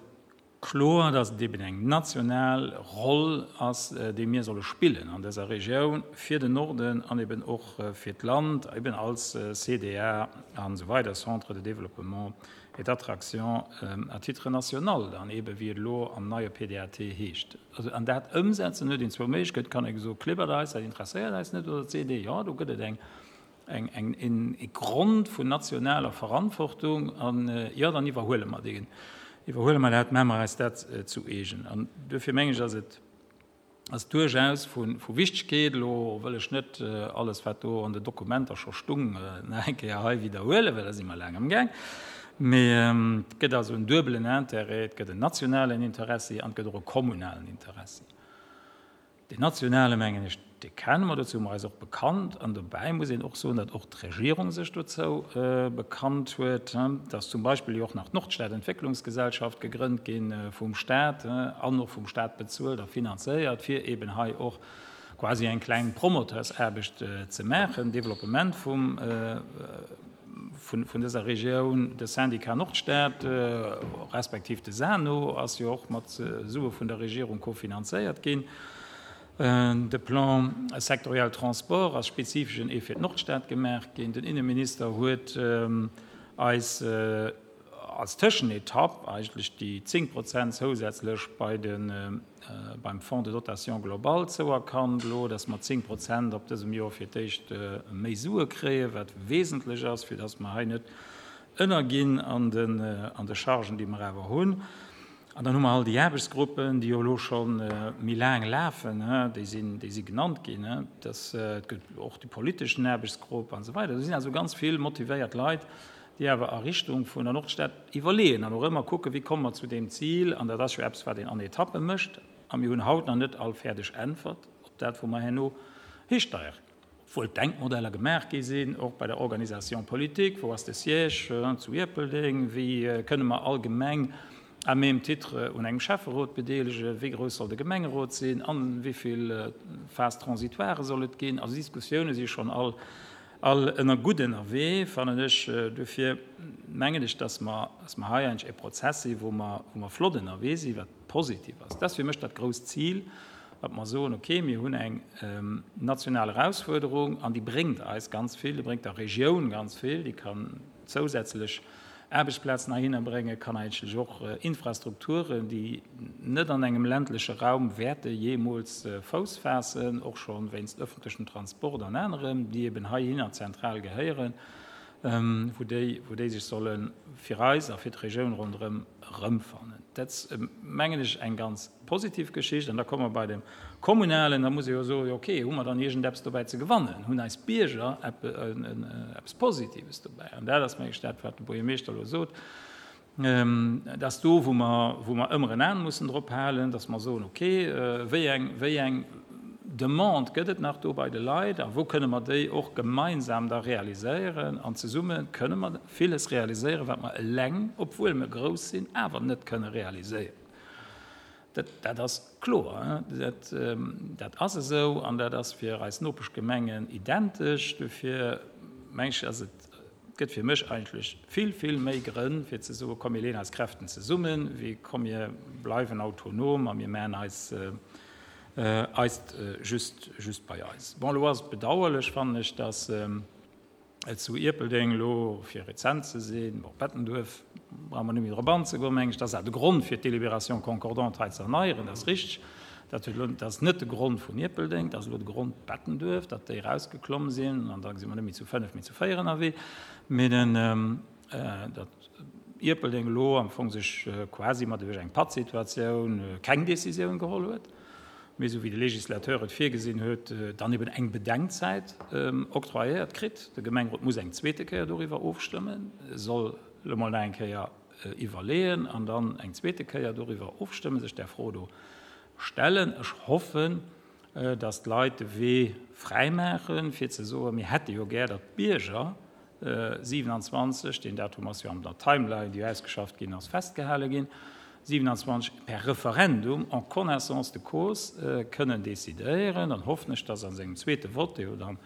kloer, dass et eben eng national Roll ass, déi mir solle spillen an dëser Regioun fir den Norden an eben och fir d'Land, eben als C D A an esou weider, Centre de développement et d'attraction à titre national dann eben, wéi et elo am neie P D A T heescht. Also, an dat ëmsetzen huet een zwou Méiglechkeeten, et kann ee soen, klibbert eis, dat interesséiert eis net, oder et seet ee, jo, do gëtt et eng, eng, eng, een, ee Grond vun nationaler Verantwortung an, jo, dann iwwerhuele mer deen, iwwerhuele mer dat, maache mer eis dat zu eegen. An duerfir mengen ech, ass et, ass duerchaus vu Wichtegkeet. Elo wëll ech net alles, wat do an den Dokumenter scho stung, nach eng Kéier hei widderhuelen, well da si mer laang amgaang. Mee et gëtt also en duebelen Intérêt, et gëtt en nationalen Interessi an et gëtt och e kommunalen Interessi. Deen nationale, mengen ech, dee kenne mer, dozou hu mer eis och bekannt. An dobäi muss een och soen, datt och d'Regierung sech dozou bekannt huet, datt zum Beispill jo och nach d'Nordstad-Entwécklungsgesellschaft gegrënnt gi vum Stat an och vum Stat bezuelt a finanzéiert, fir eben hei och quasi eng kleng Promoteursaarbecht ze maachen, Développement vum, vun dëser Regioun. De Syndicat Nordstad, respektiv de SANO, ass jo och mat Sue vun der Regierung kofinanzéiert ginn. De Plan sectoriel Transport ass spezifesch en ee fir d'Nordstad gemaach ginn. Den Inneminister huet eis als Tëschenetapp eigentlech déi zéng Prozent zousätzlech bei de, beim Fonds de dotation globale zouerkannt elo, dass mer zéng Prozent op dësem Joer fir d'éischt méi Sue kréien, wat wesentlech ass, fir dass mer hei net ënnerginn an den, an de Chargen, déi mer awer hunn. An dann hu mer all déi Aarbechtsgruppen, déi jo elo scho méi laang lafen, déi sinn, déi si genannt ginn, dass, et gëtt och déi politeschen Aarbechtsgrupp an esou weider. Do sinn also ganz vill motivéiert Leit, déi awer a Richtung vun der Nordstad iwwerleeën an och ëmmer kucken, wéi komme mer zu deem Zil. An dat ass jo eppes, wat een an Etappe mécht. A mir hunn haut nach net all fäerdeg Äntwert op dat, wou mer herno histeieren, obwuel d'Denkmodeller gemaach gi sinn, och bei der Organisation politique, wou ass de Siège zu Ierpeldeng, wéi kënne mer all Gemeng à même titre un engem Schäfferot bedeelegen, wéi grouss soll de Gemengerot sinn an wéi vill Phases transitoires soll et ginn. Also Diskussioune si schonn all all ënner gutt ënnerwee, fannen ech. Dofir mengen ech, dass mer, dass mer hei eigentlech e Prozess si wou mer, wou mer flott ënnerwee sinn, wat positiv ass. Dat ass fir mech dat grousst Zil, datt mer soen, okay, mir hunn eng national Erausfuerderung an déi bréngt eis ganz vill, déi bréngt der Regioun ganz vill, déi kann zousätzlech Aarbechtsplazen heihinner bréngen, kann eigentlech och Infrastrukturen, déi net an engem ländleche Raum wäerte jeemools Fouss faassen, och scho wéinst öffentlechem Transport an anerem, déi eben heihinner zentral gehéieren, wou déi, wou déi sech solle fir eis a fir d'Regioun ronderëm erëmfannen. Dat ass, mengen ech, eng ganz positiv Geschicht. An da komme mer bei dem Kommunalen, da muss ee jo soen, jo okay, hu mer dann iergendeppes dobäi ze gewannen? Hunn eis Bierger eppes Positives dobäi? An dat ass, meng ech, dat, wat de Buergermeeschter elo sot, dat ass do, wou mer, wou mer ëmmer en An mussen drop halen, dass mer soen, okay, wéi eng, wéi eng Demande gëtt et nach do bei de Leit a wou kënne mer déi och gemeinsam da realiséieren? An zesumme kënne mer villes realiséieren, wat mer eleng, obwuel mer grouss sinn, awer net kënne realiséieren. Dat, dat ass kloer, dat, dat ass esou an dat ass fir eis Nopeschgemengen identesch. Dofir meng ech, ass et, gëtt fir mech eigentlech vill, vill méi Grënn, fir ze soen, komm mir leeën eis Kräften zesummen, wéi komm mir bleiwen autonom a mir maachen eis, eist just, just bei eis. Bon, elo ass et bedauerlech, fannen ech, dass et zu Ierpeldeng elo, fir rezent ze sinn, bon, Bettenduerf brauche mer net méi drop anzegoen, meng ech, dat ass awer de Grond, fir d'Délibération concordante hei ze erneieren, dat ass richteg. Dat huet elo, dat ass net de Grond vun Ierpeldeng, dat ass elo de Grond Bettenduerf, datt déi erausgeklomm sinn, an da si mer net méi zu fënnef, mee zu véier ënnerwee. Mee den, datt Ierpeldeng elo am Fong sech quasi mat duerch eng Pattsituatioun keng Décisioun geholl huet, mee esou wéi de Législateur et virgesinn huet, dann eben eng Bedenkzäit octroyéiert kritt. De Gemengerot muss eng zweete Kéier doriwwer ofstëmmen, soll elo mol nach eng Kéier iwwerleeën an dann eng zweete Kéier doriwwer ofstëmmen, sech där Fro do stellen. Ech hoffen, dass d'Leit de Wee fräimaachen, fir ze soen, mir hätte jo gär, datt d'Bierger siewenundzwanzeg, deen Datum ass jo an der Timeline, déi ausgeschafft ginn ass, festgehale ginn, siewenundzwanzeg per Referendum en connaissance de cause kënnen decidéieren. Dann hoffen ech, dass a sengem zweete Vote, dee jo dann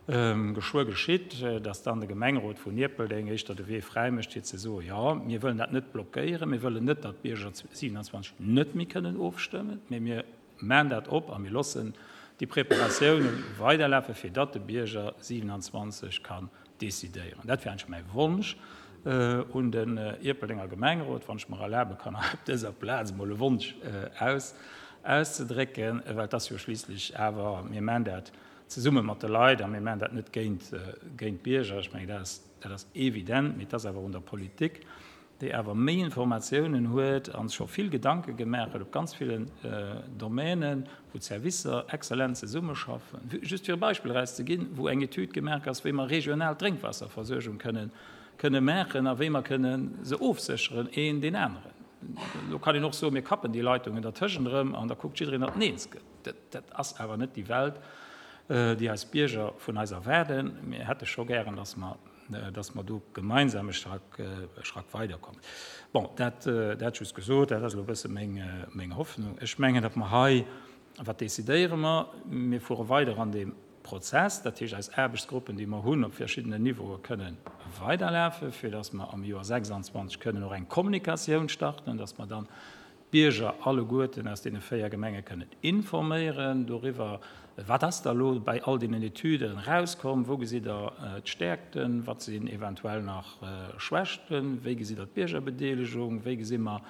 geschwë geschitt, dass dann de Gemengerot vun Ierpeldeng éischter de Wee fräi mécht, fir ze soen, jo, mir wëllen dat net blockéieren, mir wëllen net, datt d'Bierger siewenundzwanzeg net méi kënnen ofstëmmen, mee mir maachen dat op a mir loossen déi Preparatiounen weiderlafen, fir datt de Bierger siewenundzwanzeg kann decidéieren. Dat wär eigentlech mäi Wonsch un den Ierpeldenger Gemengerot, wann ech mer erlabe kann, hei op dëser Plaz emol e Wonsch aus, auszedrécken, well et ass jo schliisslech awer, mir maachen dat zesumme mat de Leit a mir maachen dat net géint, géint d'Bierger. Ech mengen, dat ass, dat ass evident, mee et ass awer un der Politik, déi awer méi Informatiounen huet a scho vill Gedanke gemaach huet op ganz villen Domänen, wou d'Servicer exzellent zesummeschaffen. Just fir e Beispill erauszeginn, wou eng Etüd gemaach ass, wéi mer regional d'Drénkwaasserversuergung kënnen, kënne maachen a wéi mer kënne se ofsécheren, een deen aneren. Elo kann een och soen, mir kappen déi Leitungen dertëschent erëm an da kuckt jiddereen, datt en eens gëtt. Dat, dat ass awer net déi Welt, déi eis Bierger vun eis erwaarden. Mir hätte scho gären, datt mer, datt mer do gemeinsam e Schrack, e Schrack weiderkommen. Bon, dat, dat just gesot, dat ass elo e bësse meng, meng Hoffnung. Ech mengen, datt mer hei, wat decidéiere mer? Mir fuere weider an deem Prozess, dat heescht eis Aarbechtsgruppen, déi mer hunn op verschiddenen Niveaue kënnen weiderlafen, fir datt mer am Joer sechsundzwanzeg kënnen och eng Kommunikatioun starten, datt mer dann d'Bierger alleguerten aus deene véier Gemenge kënnen informéieren doriwwer, wat ass da elo bei all deenen Etüden erauskomm, wou gesitt Der d'Stäerkten, wat sinn eventuell nach Schwächten, wéi gesitt Der d'Biergerbedeelegung, wéi gesi mer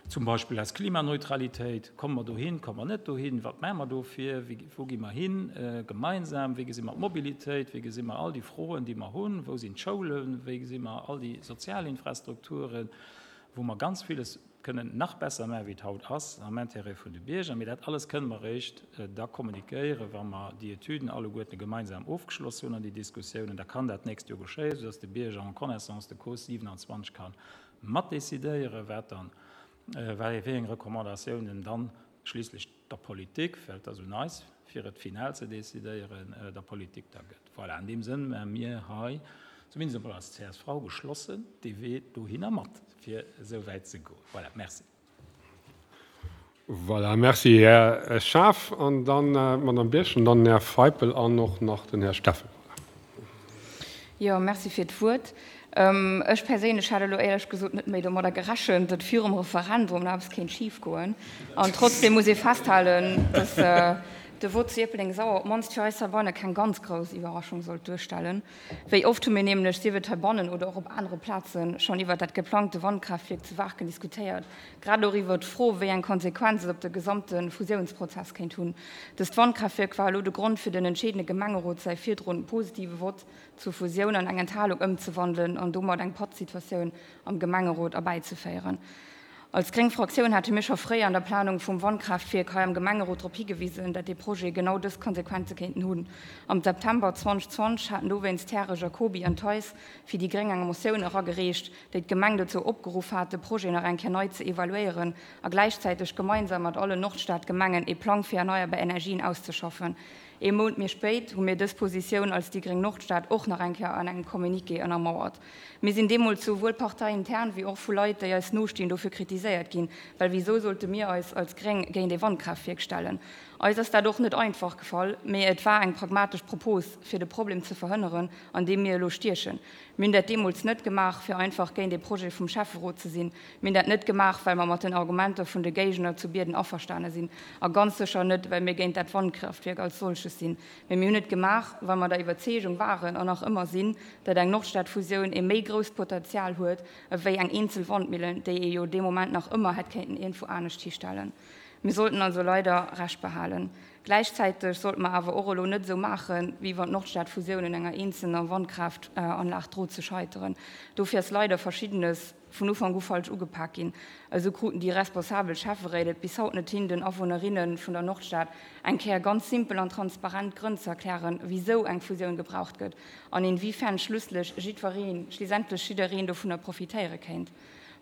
zum Beispill eis Klimaneutralitéit, komme mer dohin, komme mer net dohin, wat maache mer dofir, wou gi mer hin gemeinsam, wéi gesi mer d'Mobilitéit, wéi gesi mer all déi Froen, déi mer hunn, wou sinn d'Schoulen, wéi gesi mer all déi sozial Infrastrukturen, wou mer ganz villes kënnen nach besser maachen, wéi et haut ass, am Intérêt vun de Bierger. Mee dat alles kënnen mer eréischt da kommunikéieren, wa mer déi Etüden alleguerten gemeinsam ofgeschloss hunn an déi Diskussiounen. Da kann dat d'nächst Joer geschéien, soudass de Bierger en connaissance de cause siewenundzwanzeg ka matdecidéieren, wat dann, wéi eng Recommandatiounen dann schliisslech der Politik, well et ass un eis, fir et final ze decidéieren, der Politik da gëtt. Voilà, an deem Sënn maache mir hei, zumindest emol als C S V, geschlossen dee Wee dohinner mat, fir esou wäit ze goen. Voilà, merci. Voilà, merci Här Schaaf an dann Madame Birchen, an dann Här Feipel an och nach den Här Steffen. Jo, merci fir d'Wuert. Ech perséinlech hat elo éierlech gesot net méi domadder gerechent, datt virum Referendum nach eppes kéint schif goen. An trotzdeem muss ee festhalen, datt de Vott zu Ierpeldeng-Sauer op d'mannst fir eis heibanne keng ganz grouss Iwwerraschung sollt duerstellen. Wéi oft hu mir nämlech, sief et heibannen oder och op anere Plazen, schonn iwwert dat geplangte Wandkraaftwierk zu Waarken diskutéiert, grad och iwwert d'Fro, wéi eng Konsequenz et op de gesamte Fusiounsprozess kéint hunn. Dëst Wandkraaftwierk war elo de Grond fir den entscheedende Gemengerot säi virdrun positive Vott zur Fusioun an eng Enthalung ëmzewandelen an domat eng Pattsituatioun am Gemengerot erbäizeféieren. Als gréng Fraktioun hate mir scho fréi an der Planung vum Wandkraaftwierk hei am Gemengerot drop higewisen, dat dee Projet genau dës Konsequenze kéinten hunn. Am September zweedausendzwanzeg haten dowéinst d'Häre Jacoby an Theis fir déi gréng eng Motioun eragereecht, déi d'Gemeng dozou opgeruff hat, de Projet nach eng Kéier nei ze evaluéieren a gläichzäiteg gemeinsam mat allen Nordstad-Gemengen ee Plang fir erneierbar Energien auszeschaffen. Ee Mount méi spéit hu mir dës Positioun als déi gréng Nordstad och nach eng Kéier an engem Communiqué ënnermauert. Mir sinn deemools souwuel parteiintern wéi och vu Leit, déi eis nostinn, dofir kritiséiert ginn, well wisou sollte mir eis als Gréng géint ee Wandkraaftwierk stellen? Eis ass dat och net einfach gefall, mee et war eng pragmatesch Propos, fir de Problem ze verhënneren, an deem mir elo stiechen. Mir hunn dat deemools net gemaach, fir einfach géint ee Projet vum Schäfferot ze sinn. Mir hunn dat net gemaach, well mer mat den Argumenter vun de Géigner zu Bierden averstane sinn. A ganz sécher net, well mir géint dat Wandkraaftwierk als solches sinn. Mee mir hunn et gemaach, well mer der Iwwerzeegung waren an nach ëmmer sinn, datt eng Nordstadfusioun ee méi grousst Potenzial huet ewéi eng eenzel Wandmillen, déi ee jo dee Moment nach ëmmer hätt kéinten iergendwou anescht histellen. Mir sollten also leider Recht behalen. Gläichzäiteg sollte mer awer och elo net esou maachen, wéi wann d'Nordstadfusioun un enger eenzelner Wandkraaft-Anlag drot ze scheiteren. Dofir ass leider Verschiddenes vun Ufank u falsch ugepak ginn. Esou kruten déi responsabel Schäfferéit et bis haut net hin, den Awunnerinne vun der Nordstad eng Kéier ganz simpel an transparent d'Grënn ze erklären, wisou eng Fusioun gebraucht gëtt an inwiefern schlusslech jiddwereen, schliessendlech jiddereen dovunner profitéiere kéint.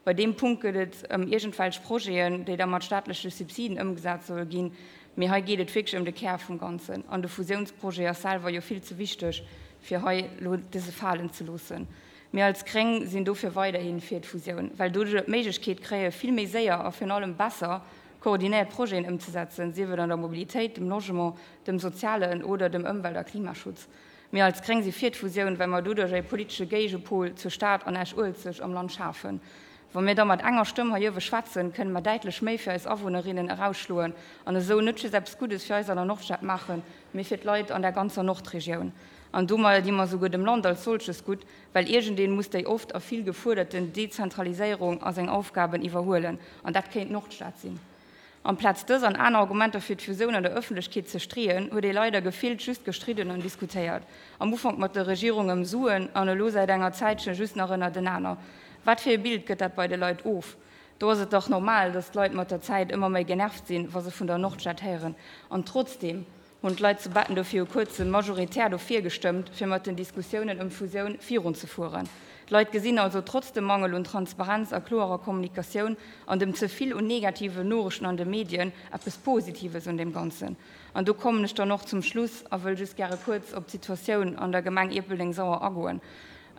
Bei deem Punkt gëtt et ëm iergendwelch Projeten, déi da mat staatleche Subsiden ëmgesat solle ginn, mee hei geet et wierklech ëm de Kär vum Ganzen. An de Fusiounsprojet ass selwer jo vill ze wichteg, fir hei elo dëse falen ze loossen. Mir als Gréng sinn dofir weiderhi fir d'Fusioun, well doduerjer d'Méiglechkeet kréie vill méi séier a virun allem besser koordinéiert Projeten ëmzesetzen, sief et an der Mobilitéit, dem Logement, dem sozialen oder dem Ëmwelt a Klimaschutz. Mir als Gréng si fir d'Fusioun, well mer doduerch e politesche Géigepol zur Stad an Esch-Uelzecht am Land schafen. Wa mir da mat enger Stëmm hei uewe schwätzen, kënne mer däitlech méi fir eis Awunnerinnen erausschloen an esou net just eppes Guddes fir eis an der Nordstad maachen, mee fir d'Leit an der ganzer Nordregioun. An domadder di mer souguer dem Land als solches gutt, well iergendeen muss déi oft a vill gefuerderten Dezentraliséierung a seng Aufgaben iwwerhuelen, an dat kéint d'Nordstad sinn. Amplaz dës an aner Argumenter fir d'Fusioun an der Ëffentlechkeet ze streeën, huet ee leider gefillt just gestridden an diskutéiert. Am Ufank mat der Regierung ëm Suen an elo säit enger Zäitche just nach ënnertenaner. Wat fir e Bild gëtt dat bei de Leit of? Do ass et dach normal, datt d'Leit mat der Zäit ëmmer méi genervt sinn, wa se vun der Nordstad héieren. An trotzdeem hunn d'Leit zu Betten do viru kuerzem majoritär dofir gestëmmt, fir mat den Diskussiounen ëm d'Fusioun virunzefueren. D'Leit gesinn also trotz dem Mangel un Transparenz a kloerer Kommunikatioun an dem ze vill un negativen Noriichten an de Medien eppes Positives un deem Ganzen. An do kommen ech dann och zum Schluss a wëll just gäre kuerz op d'Situatioun an der Gemeng Ierpeldeng-Sauer agoen.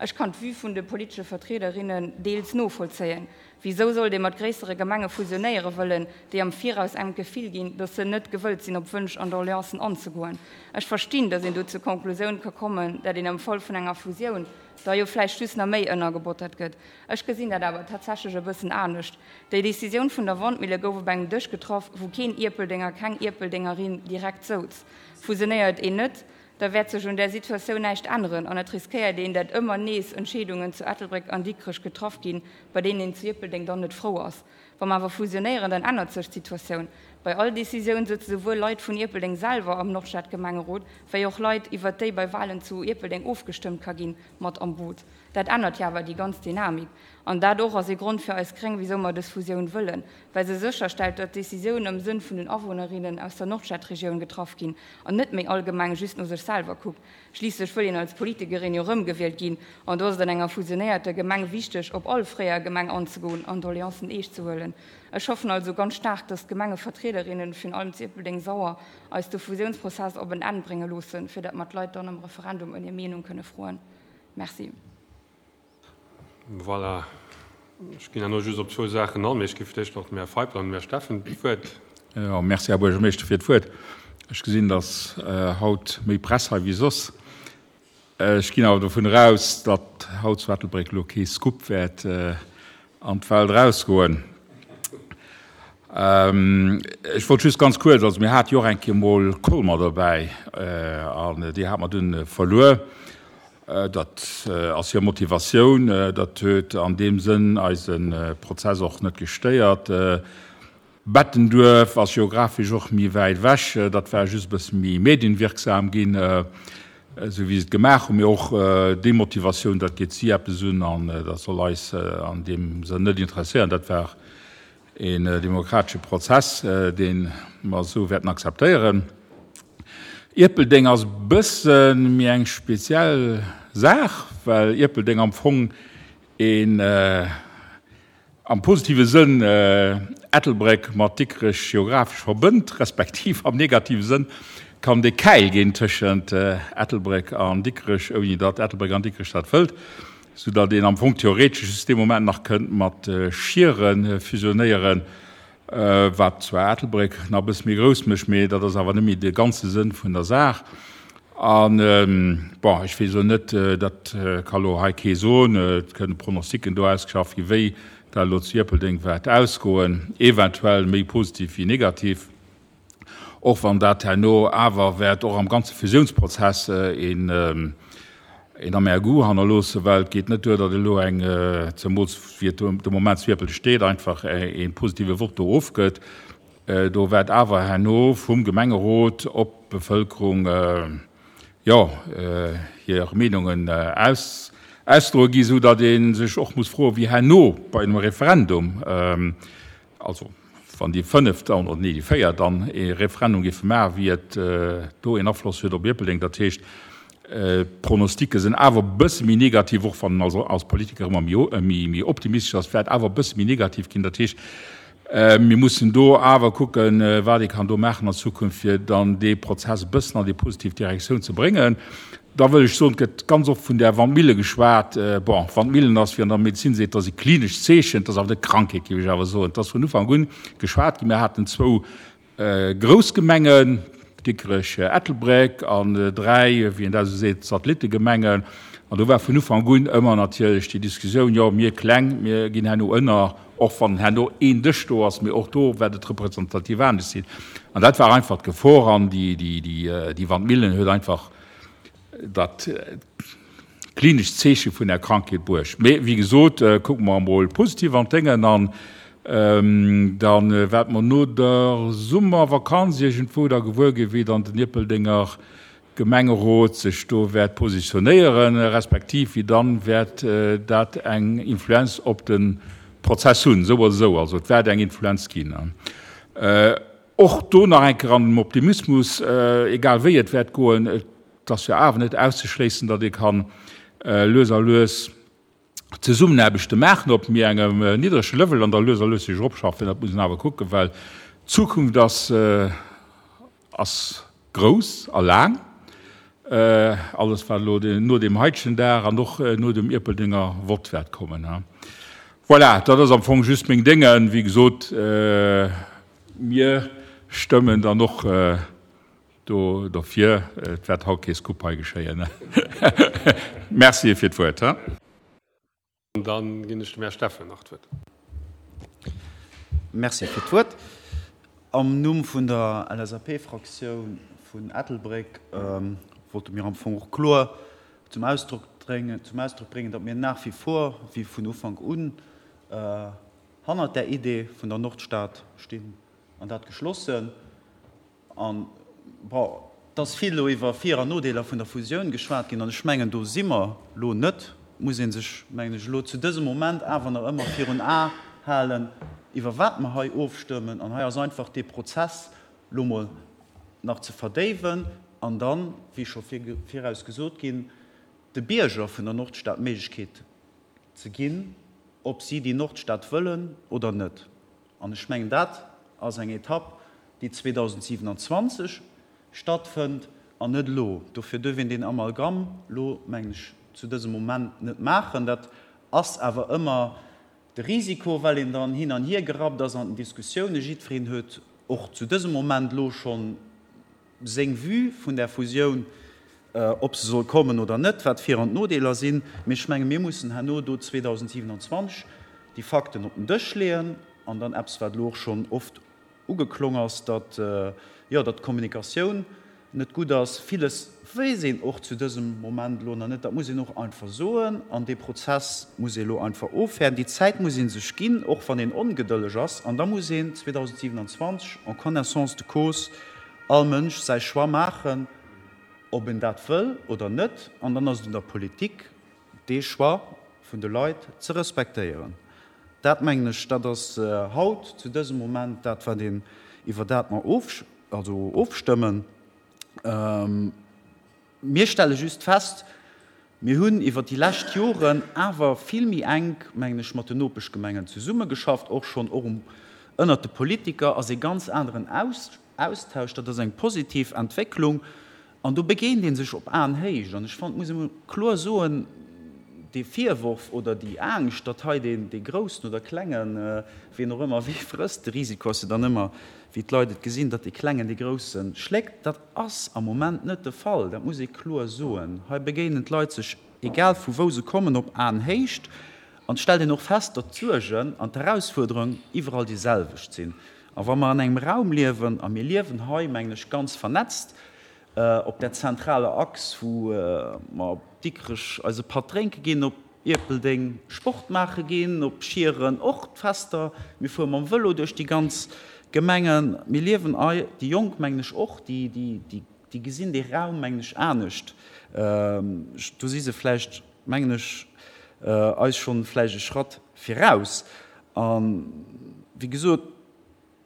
Ech kann d'Vue vun de politesche Vertriederinnen deels novollzéien. Wisou sollt ee mat gréissere Gemenge fusionéiere wëllen, déi am Viraus engem d'Gefill ginn, datt se net gewëllt sinn, op Wënsch an Doleancen anzegoen? Ech verstinn, datt een do zur Konklusioun ka kommen, dat een am Fall vun enger Fusioun da jo vläicht just nach méi ënnergebottert gëtt. Ech gesinn dat awer tatsächlech e bëssen anescht. Déi Decisioun vun der Wandmille gouf op engem Dësch getraff, wou keen Ierpeldenger, keng Ierpeldengerin direkt souz. Fusionéiert een net, da wäert sech un där Situatioun näischt änneren an et riskéiert een, dat ëmmer nees Entscheedungen zu Ettelbréck an Dikrech getraff ginn, bei deenen een zu Ierpeldeng dann net frou ass. Wa mer awer fusionéieren, dann ännert sech d'Situatioun. Bei all Decisioun sëtze souwuel Leit vun Ierpeldeng selwer am Nordstadgemengerot, wéi och Leit, iwwert déi bei Walen zu Ierpeldeng ofgestëmmt ka ginn, mat am Boot. Dat ännert jo awer déi ganz Dynamik. An dat och ass ee Grond fir eis Gréng, wisou mer dës Fusioun wëllen, well se sécherstellt, datt Decisiounen am Sënn vun den Awunnerinnen aus der Nordstadregioun getraff ginn an net méi all Gemeng just no sech selwer kuckt. Schliisslech wëll een als Politikerin jo erëmgewielt ginn an do ass et an enger fusionéierter Gemeng wichteg, op all fréier Gemeng anzegoen an Doleancen eescht ze huelen. Ech hoffen also ganz staark, datt d'Gemengevertriederinnen, virun allem zu Ierpeldeng-Sauer, eis de Fusiounsprozess op en Enn brénge loossen, fir datt mer d'Leit dann am Referendum ëm hir Meenung kënne froen. Merci. Voilà. Ech ginn herno just op zwou Saachen an, mee ech gi fir d'éischt nach dem Här Feipel an dem Här Steffen d'Wuert. Jo, merci, Här Buergermeeschter, fir d'Wuert. Ech gesinn, dass haut méi Press hei wéi soss. Ech ginn awer dovun eraus, datt haut zu Ettelbréck elo kee Scoop wäert an d'Welt erausgoen. Ech wollt just ganz kuerz, also mir hate jo och eng Kéier emol Colmer dobäi an déi hate mer dunn verluer. Dat ass hir Motivatioun. Dat huet an deem Sënn eise Prozess och net gestéiert. Bettenduerf ass geographesch och méi wäit ewech. Dat war just e bësse méi medienwirksam ginn, esou wéi se et gemaach hunn. Mee och déi Motivatioun, dat geet si eppes un an dat soll eis an deem Sënn net interesséieren. Dat war een demokratesche Prozess, dee mer esou wäerten akzeptéieren. Ierpeldeng ass e bësse méi eng speziell Saach, well Ierpeldeng am Fong een, am positive Sënn, Ettelbréck mat Dikrech geographesch verbënnt, respektiv am negative Sënn kann de Käil ginn tëschent Ettelbréck an Dikrech, ouni datt Ettelbréck an Dikrech dat wëllt, soudatt een am Fong theoretesch just dee Moment nach kënnt mat Schieren fusionéieren. Wat zwar Ettelbréck nach e bësse méi grouss mécht, mee dat ass awer net méi de ganze Sënn vun der Saach. An, bon, ech weess elo net, dat ka elo hei kee soen, et kënne Pronosticken do ausgeschafft ginn, wéi dat elo zu Ierpeldeng wäert ausgoen, eventuell méi positiv wéi negativ, och wann dat herno awer wäert och am ganze Fusiounsprozess een een amer Goût hannerloossen, well et geet net duer, datt elo eng, zemools wéi et de Moment zu Ierpeldeng steet, einfach ee positive Vott do ofgëtt. Do wäert awer herno vum Gemengerot op d'Bevëlkerung, jo, hir Meenungen ausdroe gi, esou datt ee sech och muss froen, wéi herno bei engem Referendum, also wann déi fënnef dann, oder nee, déi véier dann ee Referendum géife maachen, wéi et do een Afloss huet op Ierpeldeng. Dat heescht, d'Pronosticke sinn awer e bësse méi negativ, och wann en als Politiker ëmmer méi optimistesch ass, wäert awer e bësse méi negativ ginn. Dat heescht, mir mussen do awer kucken, wat ee kann do maachen an Zukunft, fir dann dee Prozess e bëssen an déi positiv Direktioun ze bréngen. Da wëll ech soen, et gëtt ganz oft vun där Wandmille geschwat. Bon, Wandmillen ass, wéi an der Medezin seet, dat ass e klinescht Zeechen, dat ass awer net Krankheet, géif ech awer soen. Et ass vun Ufank un geschwat ginn. Mir haten zwou grouss Gemengen, Dikrech, Ettelbréck, an dräi, wéi een dat esou seet, Satellittegemengen. An do war vun Ufank un ëmmer natierlech déi Diskussioun, jo, mir Kleng, mir ginn herno ënner, och wann herno een Dësch do ass, mee och do wäert et representativ anescht sinn. An dat war einfach d'Gefor. An déi Wandmillen huet einfach dat klinescht Zeeche vun der Krankheet bruecht. Mee wéi gesot, kucke mer emol positiv an d'Déngen an da wäerte mer no der Summervakanz iergendwou da gewuer ginn, wéi dann den Ierpeldenger Gemengerot sech do wäert positionéieren, respektiv wéi dann wäert dat eng Influenz op de Prozess hunn, esou oder esou. Also et wäert eng Influenz ginn. Och do nach eng Kéier an dem Optimismus, egal wéi et wäert goen, et ass jo awer net auszeschléissen, datt ee kann lues a lues Zesummenaarbechte maachen op méi engem niddrege Level an da lues a lues sech eropschaffen. Dat muss een awer kucken, well d'Zukunft ass, ass grouss a laang. Alles wat elo no deem haitegen Dag an och no dem Ierpeldenger Vott wäert kommen. Voilà, dat ass am Fong just meng Déngen. Wéi gesot, mir stëmmen dann och do dofir. Et wäert haut kee Scoop hei geschéien. Merci fir d'Wuert. An da ginn ech dem Här Steffen nach d'Wuert. Merci fir d'Wuert. Am Numm vun der L S A P-Fraktioun vun Ettelbréck wollte mir am Fong och kloer zum Ausdrock bréngen, zum Ausdrock bréngen, datt mir nach wie vor, wéi vun Ufank un, hannert där Idee vun der Nordstad stinn an dat geschlossen. An, bon, et ass vill elo iwwer Vir an Nodeeler vun der Fusioun geschwat ginn an ech mengen, do si mer elo net. Et muss ee sech, mengen ech, elo zu dësem Moment awer nach ëmmer virun Ae halen, iwwer wat mer hei ofstëmmen. An hei ass einfach dee Prozess elo mol nach ze verdéiwen an dann, wéi scho viraus gesot ginn, de Bierger vun der Nordstad d'Méiglechkeet ze ginn, ob si déi Nordstad wëllen oder net. An ech mengen, dat ass eng Etapp, déi zweedausendsiewenanzwanzeg stattfënnt an net elo. Dofir duerf een deen Amalgam elo, mengen ech, zu dësem Moment net maachen. Dat ass awer ëmmer de Risiko, well een dann hin an hier gerappt ass an den Diskussiounen. Jiddwereen huet och zu dësem Moment elo schonn seng Vue vun där Fusioun, ob se soll kommen oder net, wat d'Vir an d'Nodeeler sinn. Mee ech menge mir mussen herno do zweedausendsiewenanzwanzeg déi Fakten op den Dësch leeën an dann eppes, wat elo och schonn oft ugeklong ass, datt, jo, datt d'Kommunikatioun net gutt ass. Villes weess een och zu dësem Moment elo nach net, dat muss een och einfach soen. An dee Prozess muss ee elo einfach ofwäerden. Déi Zäit muss ee sech ginn, och wann een ongedëlleg ass. An da muss een zweedausendsiewenanzwanzeg en connaissance de cause all Mënsch säi Choix maachen, ob en dat wëll oder net. An dann ass et un der Politik, dee Choix vun de Leit ze respektéieren. Dat, mengen ech, dat ass haut zu dësem Moment dat, wat een, iwwer dat mer of, also ofstëmmen. Mir stelle just fest, mir hunn iwwer déi lescht Joren awer vill méi enk, mengen ech, mat den Nopeschgemengen zesummegeschafft, och schonn och um, ënnert de Politiker ass ee ganz aneren Austausch. Dat ass eng positiv Entwécklung an do begéint ee sech op Aenhéicht. An ech fannen, et muss ee mol kloer soen, dee Virworf oder déi Angscht, datt hei deen, dee Groussen oder Klengen, wien och ëmmer wee frësst, de Risiko ass jo dann ëmmer, wéi d'Leit et gesinn, datt dee Klengen dee Grousse schléckt, dat ass am Moment net de Fall. Dat muss ee kloer soen. Hei begéinen d'Leit sech, egal vu wou se kommen, op Aenhéicht. An et stellt een och fest, datt d'Suergen an d'Erausfuerderungen iwwerall déi selwecht sinn. A wa mer an engem Raum liewen, a mir liewen hei, mengen ech, ganz vernetzt op där zentraler Achs, wou mer op Dikrech eise Patt drénke ginn, op Ierpeldeng Sport maache ginn, op Schieren och d'Fester, mir fuere mam Vëlo duerch déi ganz Gemengen, mir liewen hei, déi Jonk, mengen ech, och, déi gesinn dee Raum, mengen ech, anescht. Do si se vläicht, mengen ech, eis schonn vläicht e Schratt viraus. A wéi gesot,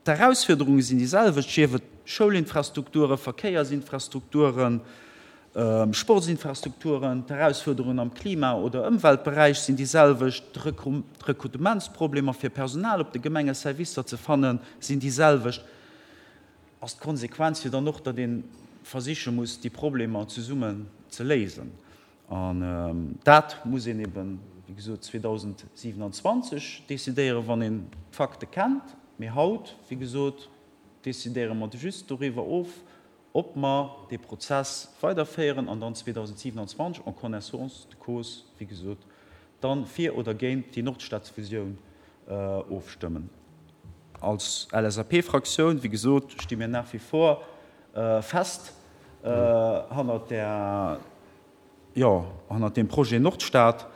d'Erausfuerderunge sinn déi selwecht, sief et Schoulinfrastrukturen, Verkéiersinfrastrukturen, Sportsinfrastrukturen, d'Erausfuerderungen am Klima oder Ëmweltberäich sinn déi selwecht, d'Rekrutementsproblemer fir Personal op de Gemengeservicer ze fannen, sinn déi selwecht. Ass d'Konsequenz jo dann och, datt ee versiche muss, déi Problemer zesummen ze léisen. An dat muss een eben, wéi gesot, zweedausendsiewenanzwanzeg decidéieren, wann een d'Fakte kennt. Mee haut, wéi gesot, decidéiere mer just doriwwer of, ob mer dee Prozess weiderféieren an dann zweedausendsiewenanzwanzeg en connaissance de cause, wéi gesot, dann fir oder géint déi Nordstadfusioun ofstëmmen. Als L S A P-Fraktioun, wéi gesot, sti mir nach wie vor fest hannert där, jo, hannert deem Projet Nordstad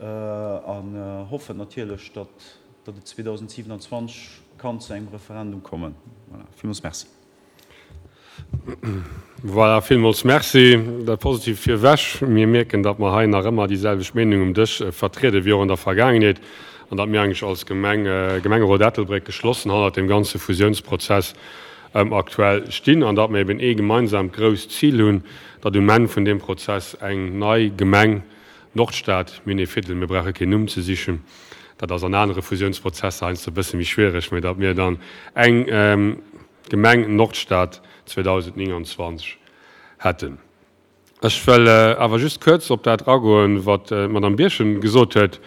an hoffen natierlech, datt datt et zweedausendsiewenanzwanzeg kann zu engem Referendum kommen. Voilà. Villmools merci. Voilà, villmools merci. Dat Positiivt virwech, Mir mierken, datt mer hei nach ëmmer déi selwecht Meenung um Dësch vertrieden, wéi och an der Vergaangenheet, an datt mir eigentlech als Gemeng, Gemengerot Ettelbréck, geschlossen hannert deem ganze Fusiounsprozess aktuell stinn an datt mir eben ee gemeinsaamt grousst Zil hunn, datt um Enn vun deem Prozess eng nei Gemeng Nordstad, mir hunn ee Fidel, mir brauche keen Numm ze sichen, dat ass an anere Fusiounsprozesser heiansdo e bësse méi schwiereg, mä datt mir dann eng Gemeng Nordstad zweedausendnénganzwanzeg hätten. Ech wëll awer just kuerz op dat agoen, wat d'Madame Birchen gesot huet.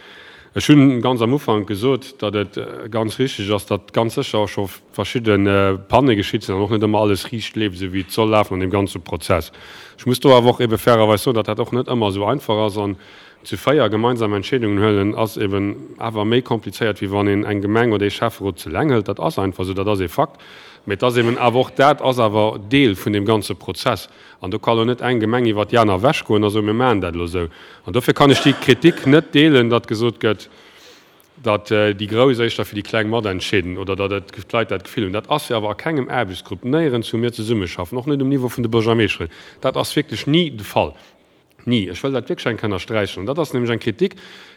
Ech hunn ganz am Ufank gesot, datt et ganz richtig ass, datt ganz sécher och scho verschidde Panne geschitt sinn an och net ëmmer alles riicht leeft, esou wéi et soll lafen an deem ganze Prozess. Ech muss do awer och ebe fairerweis soen, datt dat och net ëmmer esou einfach ass an zu véier gemeinsam Entscheedungen huelen ass eben awer méi komplizéiert, wéi wann een eng Gemeng oder ee Schäfferot ze eleng hëlt. Dat ass einfach esou, dat ass ee Fakt. Mee et ass eben awer och, dat ass awer Deel vun deem ganze Prozess. An do ka lo net eng Gemeng iwwert déi aner ewechgoen a soen, mir maachen dat elo esou. An dofir kann ech déi Kritik net deelen, datt gesot gëtt, datt déi Grouss éischter fir déi Kleng matentscheeden oder datt et d'Leit dat Gefill hunn. Dat ass jo awer a kengem Aarbechtsgrupp, néierens, wou mir zesummeschaffen, och net um Niveau vun de Buergermeeschteren. Dat ass wierklech ni de Fall. Ni. Ech wëll dat wierklech eng Kéier ënnersträichen. An dat ass nämlech eng Kritik,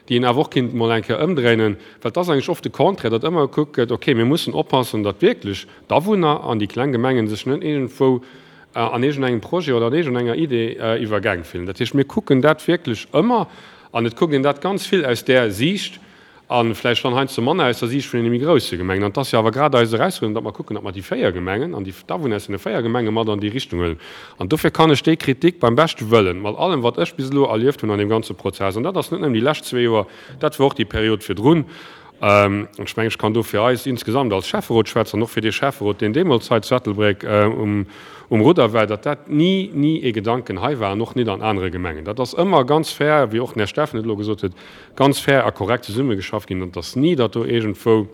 déi een awer och kinnt emol eng Kéier ëmdréinen, well et ass eigentlech oft de Contraire, datt ëmmer gekuckt gëtt, okay, mir mussen oppassen, datt wierklech d'Awunner an déi kleng Gemengen sech net iergendwou an iergendengem Projet oder an iergendenger Idee iwwergaang fillen. Dat heescht, mir kucken dat wierklech ëmmer an et kuckt een dat ganz vill aus där Siicht, A vläicht dann heiansdo manner aus der Siicht vun deene méi grousse Gemengen. An et ass jo awer grad eis Erausfuerderung, datt mer kucken, datt mer déi véier Gemengen an déi d'Awunner aus deene véier Gemenge mat an déi Richtung huelen. An dofir kann ech déi Kritik beim beschte Wëllen, mat allem, wat ech bis elo erlieft hunn an deem ganze Prozess, an dat ass net nëmmen déi lescht zwee Joer, dat war och déi Period virdrun, an ech mengen, ech kann do fir eis insgesamt als Schäfferot schwätzen an och fir dee Schäfferot, deen deemools hei zu Ettelbréck um Rudder war, datt dat ni, ni ee Gedanken hei war an och nit an anere Gemengen. Dat ass ëmmer ganz fair, wéi och den Här Steffen et elo gesot huet, ganz fair a korrekt zesummegeschafft ginn an et ass ni, datt do iergendwou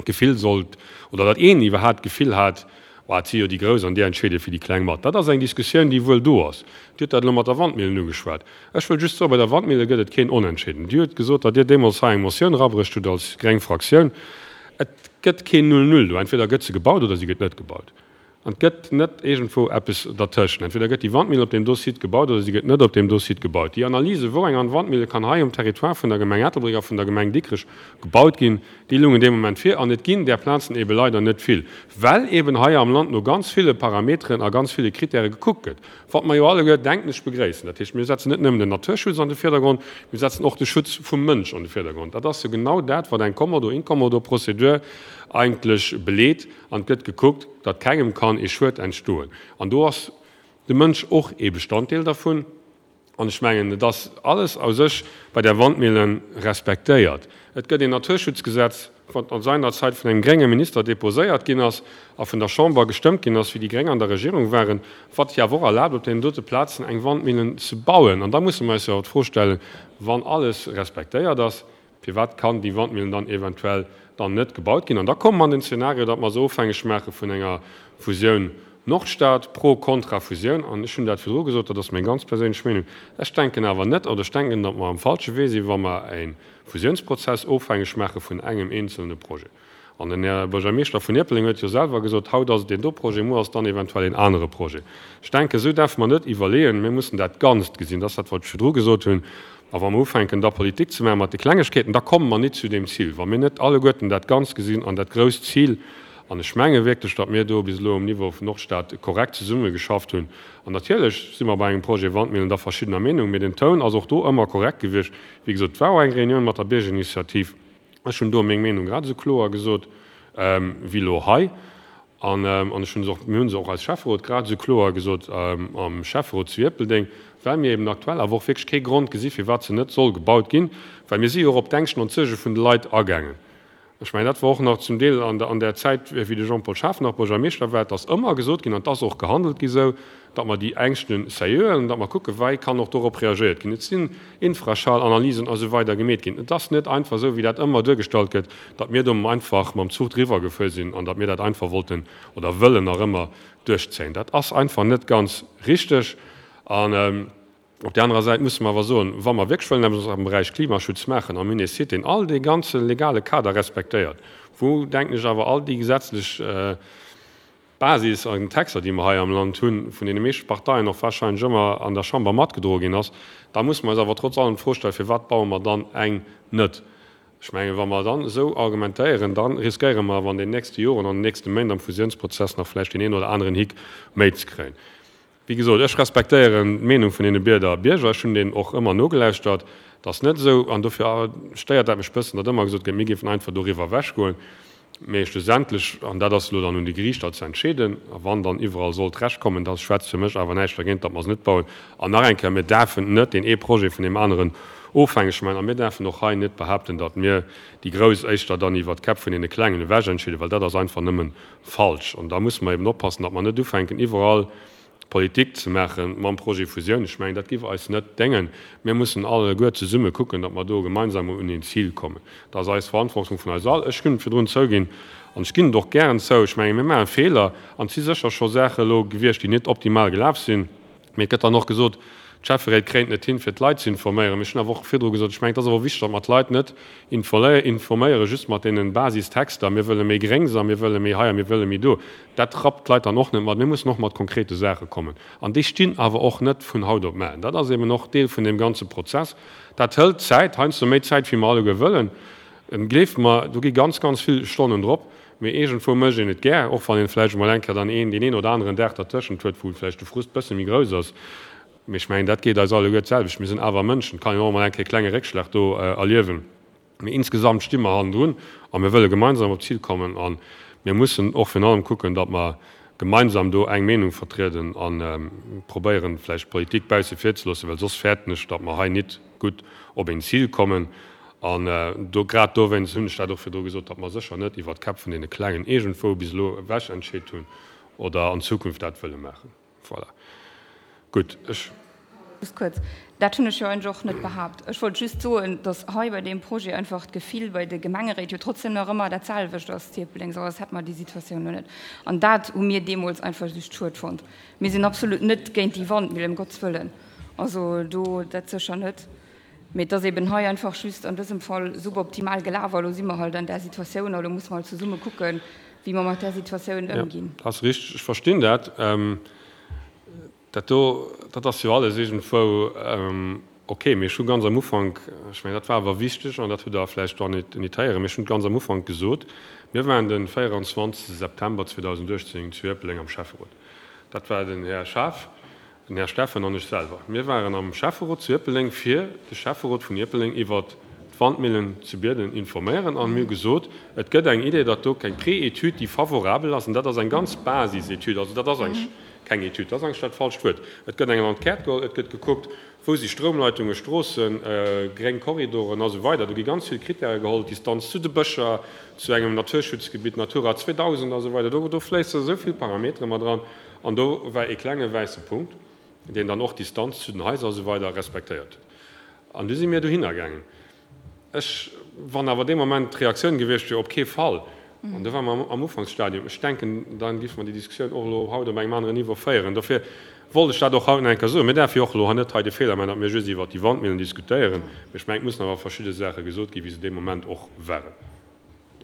d'Gefill sollt, oder datt een iwwerhaapt d'Gefill hat, oh, et si jo déi Grouss an déi entscheede fir déi Kleng mat. Dat ass eng Diskussioun, déi wuel do ass. Dir hutt dat elo mat der Wandmillen ugeschwat. Ech wëll just soen, bei der Wandmille gëtt et keen Onentscheeden. Dir hutt gesot, datt Dir deemools hei eng Motioun erabruecht hutt als gréng Fraktioun. Et gëtt keen Null-Null do. Entweder gëtt se gebaut oder si gëtt net gebaut. An et gëtt net iergendwou eppes dertëschent. Entweder gëtt déi Wandmille op deem do Site gebaut oder si gëtt net op deem do Site gebaut. Déi Analyse, wou eng Wandmille kann hei um Territoire vun der Gemeng Ettelbréck a vun der Gemeng Dikrech gebaut ginn, déi lungen dee Moment vir. An et ginn där Plazen eebe leider net vill, well eeben hei am Land no ganz ville Parameteren a ganz ville Kritäre gekuckt gëtt, wat mer jo alleguer, denken ech, begréissen. Dat heescht, mir setzen net nëmmen den Naturschutz an de Virdergrond, mir setzen och de Schutz vum Mënsch an de Virdergrond. Dat ass jo genau dat, wat eng Kommodo-Inkommodo-Prozedur eigentlech beleet an et gëtt gekuckt, datt kengem kann ee Schued entstoen. An do ass de Mënsch och ee Bestanddeel dervun. An ech mengen, et ass alles a sech bei der Wandmillen respektéiert. Et gëtt een Naturschutzgesetz, wat an seiner Zäit vun engem grénge Minister deposéiert ginn ass a vun der Chamber gestëmmt ginn ass, wéi déi Gréng an der Regierung waren, wat jo awer och erlaabt, op deenen dote Plazen eng Wandmillen ze bauen. An da musse mer eis jo awer d'Fro stellen, wann alles respektéiert ass, Firwat kann déi Wandmillen dann eventuell dann net gebaut ginn? An da komme mer an den Zeenario, datt mer se ofhängeg maache vun enger Fusioun Nordstad, pro, kontra Fusioun. An ech hunn dat virdru gesot, dat ass meng ganz perséinlech Meenung, ech denken awer net, oder ech denken, datt mer am falsche Wee sinn, wa mer e Fusiounsprozess ofhängeg maache vun engem eenzelne Projet. An den Här Buergermeeschter vun Ierpeldeng huet jo selwer gesot, haut ass et deen do Projet, muer ass et dann eventuell een anere Projet. Ech denken, esou däerfe mer net iwwerleeën. Mir mussen dat Ganzt gesinn. Dat ass dat, wat ech virdru gesot hunn. A wa mer ufänken, da Politik ze maache mat de Klengegkeeten, da komme mer nit zu deem Zil. Wa mir net alleguerten dat Ganzt gesinn an dat grousst Zil, an ech menge wierklech, datt mir do bis elo um Niveau vun Nordstad korrekt zesummegeschafft hunn, an natierlech si mer bei engem Projet Wandmillen da verschiddener Meenung, mee den Toun ass och do ëmmer korrekt gewiescht. Wéi gesot, et war och eng Reunioun mat der Biergerinitiativ. Ech hunn do meng Meenung grad esou kloer gesot wéi elo hei. An ech hunn se och, mir hu se och als Schäfferot grad esou kloer gesot am Schäfferot zu Ierpeldeng, well mir eben aktuell awer och wierklech kee Grond gesi firwat se net soll gebaut ginn, well mir si jo och op d'Ängschten an d'Suerge vun de Leit agaangen. Ech mengen, dat war och nach zum Deel an där Zäit, wéi de Jean-Paul Schaaf nach Buergermeeschter war, et ass ëmmer gesot ginn an et ass och gehandelt gi sou, datt mer déi Ängschte sérieux huelen, datt mer kucken, wei kann och dorop reagéiert ginn. Et sinn Infraschallanalysen a sou weider gemeet ginn. Et ass net einfach esou, wéi dat ëmmer duergestallt gëtt, datt mir do einfach mam Zuch driwwer gefuer sinn an datt mir dat einfach wollten oder wëllen nach ëmmer duerchzéien. Dat ass einfach net ganz richteg. An op där anerer Säit musse mer awer soen, wa mer wierklech wëllen eppes am Beräich Klimaschutz maachen a mir hunn ee Site, deen all dee ganze legale Kader respektéiert, wou, denken ech, awer all déi gesetzlech Basis an Texter, déi mer hei am Land hunn, vun deene meeschte Parteien och wahrscheinlech ëmmer an der Chamber matgedroe ginn ass, da musse mer eis awer trotz allem d'Fro stellen, Firwat baue mer dann eng net? Ech mengen, wa mer dann esou argumentéieren, da riskéiere mer awer an den nächste Joren, an den nächste Méint am Fusiounsprozess nach vläicht deen een oder aneren Hick méi ze kréien. Wéi gesot, ech respektéieren d'Meenung vun deene Bierder Bierger. Ech hunn deenen och ëmmer nogelauschtert. Et ass net esou, an dofir stéiert dat mech e bëssen, datt ëmmer gesot gëtt, mir géifen einfach doriwwer ewechgoen. Mee schlussendlech, an dat ass elo dann un de Geriichter ze entscheeden, a wann dann iwwerall sollt Recht kommen, da schwätzt fir mech awer näischt dergéint, datt mer se net bauen. An nach eng Kéier, Mir däerfen net deen ee Projet vun deem aneren ofhängeg maachen a mir däerfen och hei net behaupten, datt mir déi Grouss éischter dann iwwert d'Käpp vun deene Klengen ewech entscheeden, well dat ass einfach nëmme falsch. An da musse mer eben oppassen, datt mer net ufänken iwwerall Politik ze maache mam Projet Fusioun. Ech mengen, dat géif eis net déngen. Mir mussen alleguer zesumme kucken, datt mer do gemeinsam un een Zil kommen. Dat ass eis Verantwortung vun eis all. Ech hunn et virdrun zouginn an ech ginn et och gären zou, ech mengen, mir maache Feeler an et si sécher scho Saache elo gewiescht, déi net optimal gelaf sinn. Mee et gëtt dann och gesot, d'Schäfferéit kréien et net hin, fir d'Leit ze informéieren. Mee ech hunn awer och virdru gesot, ech mengen, et ass awer och wichteg, datt mer d'Leit net informéiere just mat deene Basistexter, mir wëlle méi Gréngs a mir wëlle méi hei a mir wëlle méi do. Dat rappt d'Leit dann och net mat. Mir mussen och mat konkrete Saache kommen. An déi stinn awer och net vun haut op mar. Dat ass eben och Deel vun deem ganze Prozess. Dat hëlt Zäit, heiansdo méi Zäit, wéi mer alleguer wëllen. Gleeft mer, do gi ganz, ganz vill Stonnen drop. Mee iergendwou mécht een et gär, och wann een vläicht emol eng Kéier dann een, deen een oder aneren Dag dertëschent huet, wou vläicht de Frust bësse méi grouss ass. Mee ech mengen, dat geet eis alleguer d'selwecht. Mir sinn awer Mënschen. Et kann een och emol eng Kéier e klenge Réckschlag do erliewen. Mee insgesamt sti mer hannendrun a mir wëlle gemeinsam op d'Zil kommen. A mir mussen och virun allem kucken, datt mer gemeinsam do eng Meenung vertrieden a probéieren, vläicht d'Politik bausse vir ze loossen, well soss fäerten ech, datt mer hei nit gutt op een Zil kommen. An do, grad dowéinst hunn ech dat och virdru gesot, datt mer sécher net iwwert d'Käpp vun deene Klengen iergendwou bis elo ewech entscheet hunn oder an Zukunft dat wëlle maachen. Voilà. Gutt, ech. Just kuerz, Dat hunn ech jo eigentlech och net behaapt. Ech wollt just soen, datt hei bei deem Projet einfach d'Gefill bei de Gemengeréit jo trotzdem nach ëmmer dat selwecht ass, Tierpeldeng, soss hätte mer déi Situatioun elo net. An dat hu mir deemools einfach just schued fonnt. Mir sinn absolut net géint déi Wandmillen, ëm Gottes Wëllen, also do dat sécher net. Mee et ass eben hei einfach just an dësem Fall suboptimal gelaf a lo si mer halt an där Situatioun a lo musse mer halt zesumme kucken, wéi mer mat där Situatioun ëmginn. Jo, dat ass richteg. Ech verstinn dat. Dat do, dat ass jo alles iergendwou ok. Mee ech hu ganz am Ufank, ech mengen, dat war awer wichteg an dat hutt Der vläicht och net héieren, mee ech hunn ganz am Ufank gesot, mir waren de véierundzwanzegste September zweedausendachtzéng zu Ierpeldeng am Schäfferot. Dat war den Här Schaaf, Den Här Steffen an ech selwer, mir waren am Schäfferot zu Ierpeldeng, fir de Schäfferot vun Ierpeldeng iwwert d'Wandmillen zu Bierden informéieren an mir hu gesot, et gëtt eng Idee, datt do eng Pré-Etüd, déi favorabel ass, an dat ass eng ganz Basisetüd, also dat ass eigentlech keng Etüd, dat ass eigentlech dat falscht Wuert, et gëtt eng Enquête geholl, et gëtt gekuckt, wou si Stroumleitungen, Stroossen, gréng Korridoren a sou weider. Do gi ganz vill Krittäre geholl, d'Distanz zu de Bëscher, zu engem Naturschutzgebitt, Natura zweedausend a sou weider, do fléisse esou vill Parametere mat eran. An do war ee klenge wäisse Punkt, deen dann och d'Distanz zu den Haiser a sou weider respektéiert huet. An du si mir dohinner gaangen. Ech, wann awer dee Moment d'Reaktioun gewiescht wier, op kee Fall, an do ware mer am Ufanksstadium, ech denken, da géife mer déi Diskussioun och elo haut op engem aneren Niveau féieren. Dofir wollt ech dat och haut nach eng Kéier soen. Mir däerfe jo och elo net hei de Feeler maachen, datt mir just iwwert déi Wandmillen diskutéieren. Mee ech mengen, et mussen awer verschidde Saache gesot ginn, wéi se dee Moment och waren.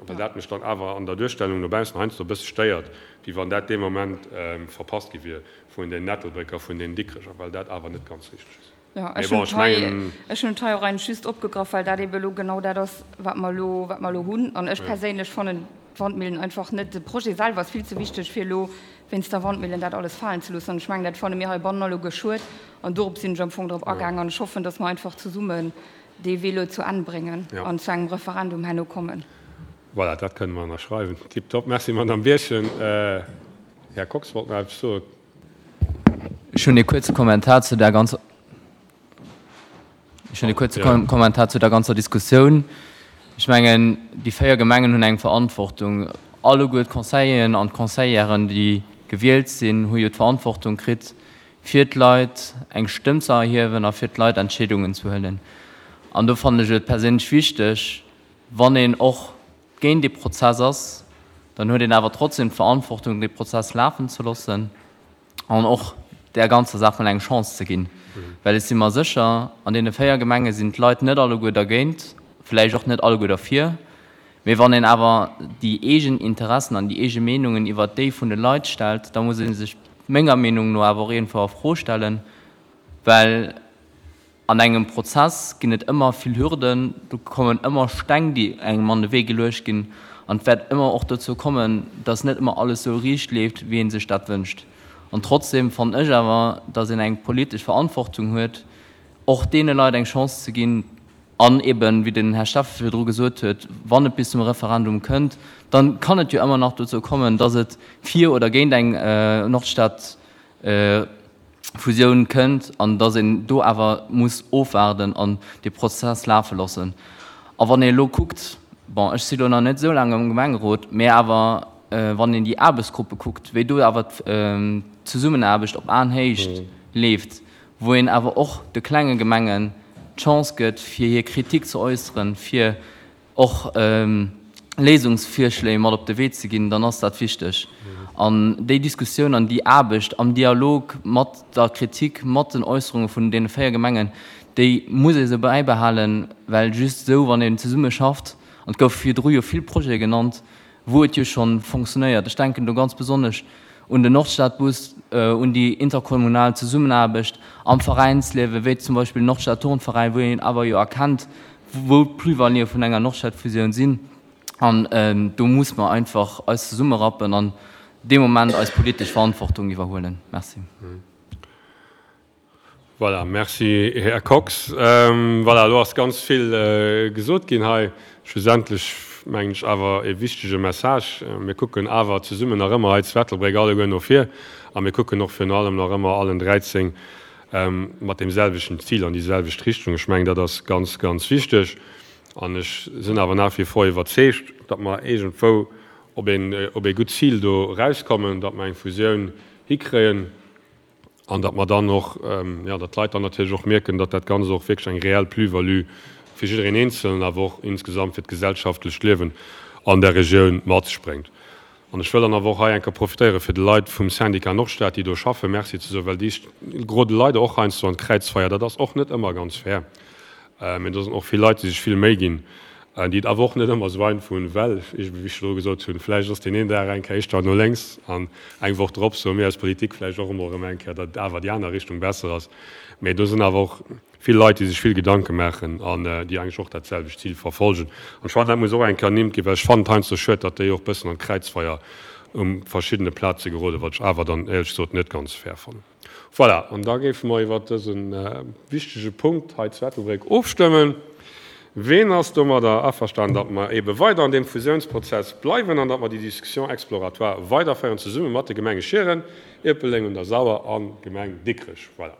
Well dat mech dann awer an der Duerstellung no baussen heiansdo e bësse stéiert, wéi wann dat dee Moment verpasst gi wier vun den Ettelbrécker, vun den Dikrecher, well dat awer net ganz richteg ass. Jo, ech hunn et hei, ech hunn et hei och eigentlech just opgegraff, well dat ebe elo genau dat ass, wat mer elo, wat mer elo hunn. An ech perséinlech fannen d'Wandmillen einfach net, de Projet selwer ass vill ze wichteg, fir elo wéinst der Wandmillen dat alles falen ze loossen. An ech mengen, dat fanne mir heibannen alleguer schued. An dorop sinn ech am Fong drop agaangen. An ech hoffen, datt mer einfach zesummen dee Wee elo zu Enn bréngen an zu engem Referendum herno kommen. Voilà, dat kënne mer ënnerschreiwen. Tiptop. Merci, Madamm Birchen. Här Kox wollt nach eppes soen. Ech hunn ee kuerze Kommentar zu där ganzer, ech hunn ee kuerze Kommentar zu der ganzer Diskussioun. Ech mengen, déi véier Gemengen hunn eng Verantwortung. Alleguer d'Conseilleren an d'Conseillèren, déi gewielt sinn, hu jo d'Verantwortung kritt, fir d'Leit eng Stëmm ze erhiewen a fir d'Leit Entscheedungen ze huelen. An do fannen ech et perséinlech wichteg, wann een och géint dee Prozess ass, dann huet een awer trotzdem d'Verantwortung, dee Prozess lafen ze loossen an och där ganzer Saach mol eng Chance ze ginn. Well ech si mer sécher, an deene véier Gemenge sinn d'Leit net alleguer dergéint, vläicht och net alleguer derfir, mee wann een awer déi eegen Interessen an déi eege Meenungen iwwert déi vun de Leit stellt, da muss ee sech menger Meenung no awer och iergendwou a Fro stellen, well an engem Prozess ginn et ëmmer vill Hürden, do kommen ëmmer Steng, déi engem an de Wee geluecht ginn an et wäert ëmmer och dozou kommen, dass net ëmmer alles esou riicht leeft, wéi ee sech dat wënscht. An trotzdem fannen ech awer, dass een eng politesch Verantwortung huet, och deene Leit eng Chance ze ginn, An eben, wéi den Här Steffen virdru gesot huet, wann et bis zum Referendum kënnt, dann kann et jo ëmmer nach dozou kommen, dass et fir oder géint eng Nordstad-Fusioun kënnt an dass een do awer muss ofwaarden an dee Prozess lafe loossen. A wann ee elo kuckt, bon, ech si lo nach net esou laang am Gemengerot, mä awer wann een déi Aarbechtsgruppe kuckt, wéi do awer d'Zesummenaarbecht op Aenhéicht leeft, wou een awer och de klenge Gemengen d'Chance gëtt, fir hir Kritik ze äusseren, fir och Léisungsvirschléi mat op de Wee ze ginn, dann ass dat wichteg. An déi Diskussioun an déi Aarbecht am Dialog mat der Kritik, mat den Äusserunge vun deene véier Gemengen, déi muss ee sou bäibehalen, well just esou, wann een zesumme schafft, an et gouf virdru jo vill Projete genannt, wou et jo scho fonctionnéiert, ech denken do ganz besonnesch un den Nordstadbus, un déi interkommunal Zesummenaarbecht am Veräinsliewen, wéi zum Beispill den Nordstad-Turnveräin, wou een awer jo erkennt, wou d'Plus-valuë vun enger Nordstadfusioun sinn. An do muss mer einfach eis zesummerappen an dee Moment eis politesch Verantwortung iwwerhuelen. Merci. Voilà, merci Här Kox. Voilà, elo ass ganz vill gesot ginn hei. Schlussendlech mengen ech awer e wichtege Message, Mir kucken awer zesummen nach ëmmer hei zu Ettelbréck alleguer no vir a mir kucken och virun allem nach ëmmer allen dräizéng mat deem selwechten Zil an déi selwecht Richtung. Ech mengen, dat ass ganz, ganz wichteg. An ech sinn awer nach wie vor iwwerzeegt, datt mer iergendwou op een, op ee gutt Zil do erauskommen, datt mer eng Fusioun hikréien. An datt mer dann och, jo, datt d'Leit dann natierlech och mierken, datt dat Ganzt och wierklech eng reell Plus-value fir jiddereen Eenzelen, awer och insgesamt fir d'gesellschaftlecht Liewen an der Regioun mat sech bréngt. An ech wëll dann awer och hei eng Kéier profitéieren, fir de Leit vum Syndicat Nordstad, déi do schaffen, Merci ze soen, well déi gerode leider och heiansdo an d'Kräizfeier. Dat ass och net ëmmer ganz fair. Mee do sinn och vill Leit, déi sech vill Méi ginn, déi et awer och net ëmmer esou einfach hunn, well, wéi ech virdru gesot hunn, vläicht ass deen een Dag eng Kéier éischter no lénks an eng Woch drop soe mir als Politik vläicht och emol erëm eng Kéier, datt awer déi aner Richtung besser ass. Mee do sinn awer och vill Leit, déi sech vill Gedanke maachen an déi eigentlech och dat selwecht Zil verfolgen. An ech fannen, dat muss och eng Kéier ernimmt ginn, well ech fannen et heiansdo schued, datt déi och e bëssen an d'Kräizfeier u verschiddene Plaze geroden, wat ech awer dann éierlech gesot net ganz fair fannen. Voilà, an da géife mer iwwert dëse wichtege Punkt hei zu Ettelbréck ofstëmmen. Ween ass domadder averstanen, datt mer eebe weider an deem Fusiounsprozess bleiwen an datt mer déi Discussion exploratoire weiderféieren zesumme mat de Gemenge Schieren, Ierpeldeng un der Sauer a Gemeng Dikrech? Voilà,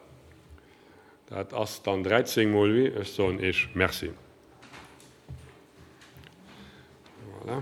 dat ass dann dräizéng mol oui. Ech soen Iech Merci. Voilà.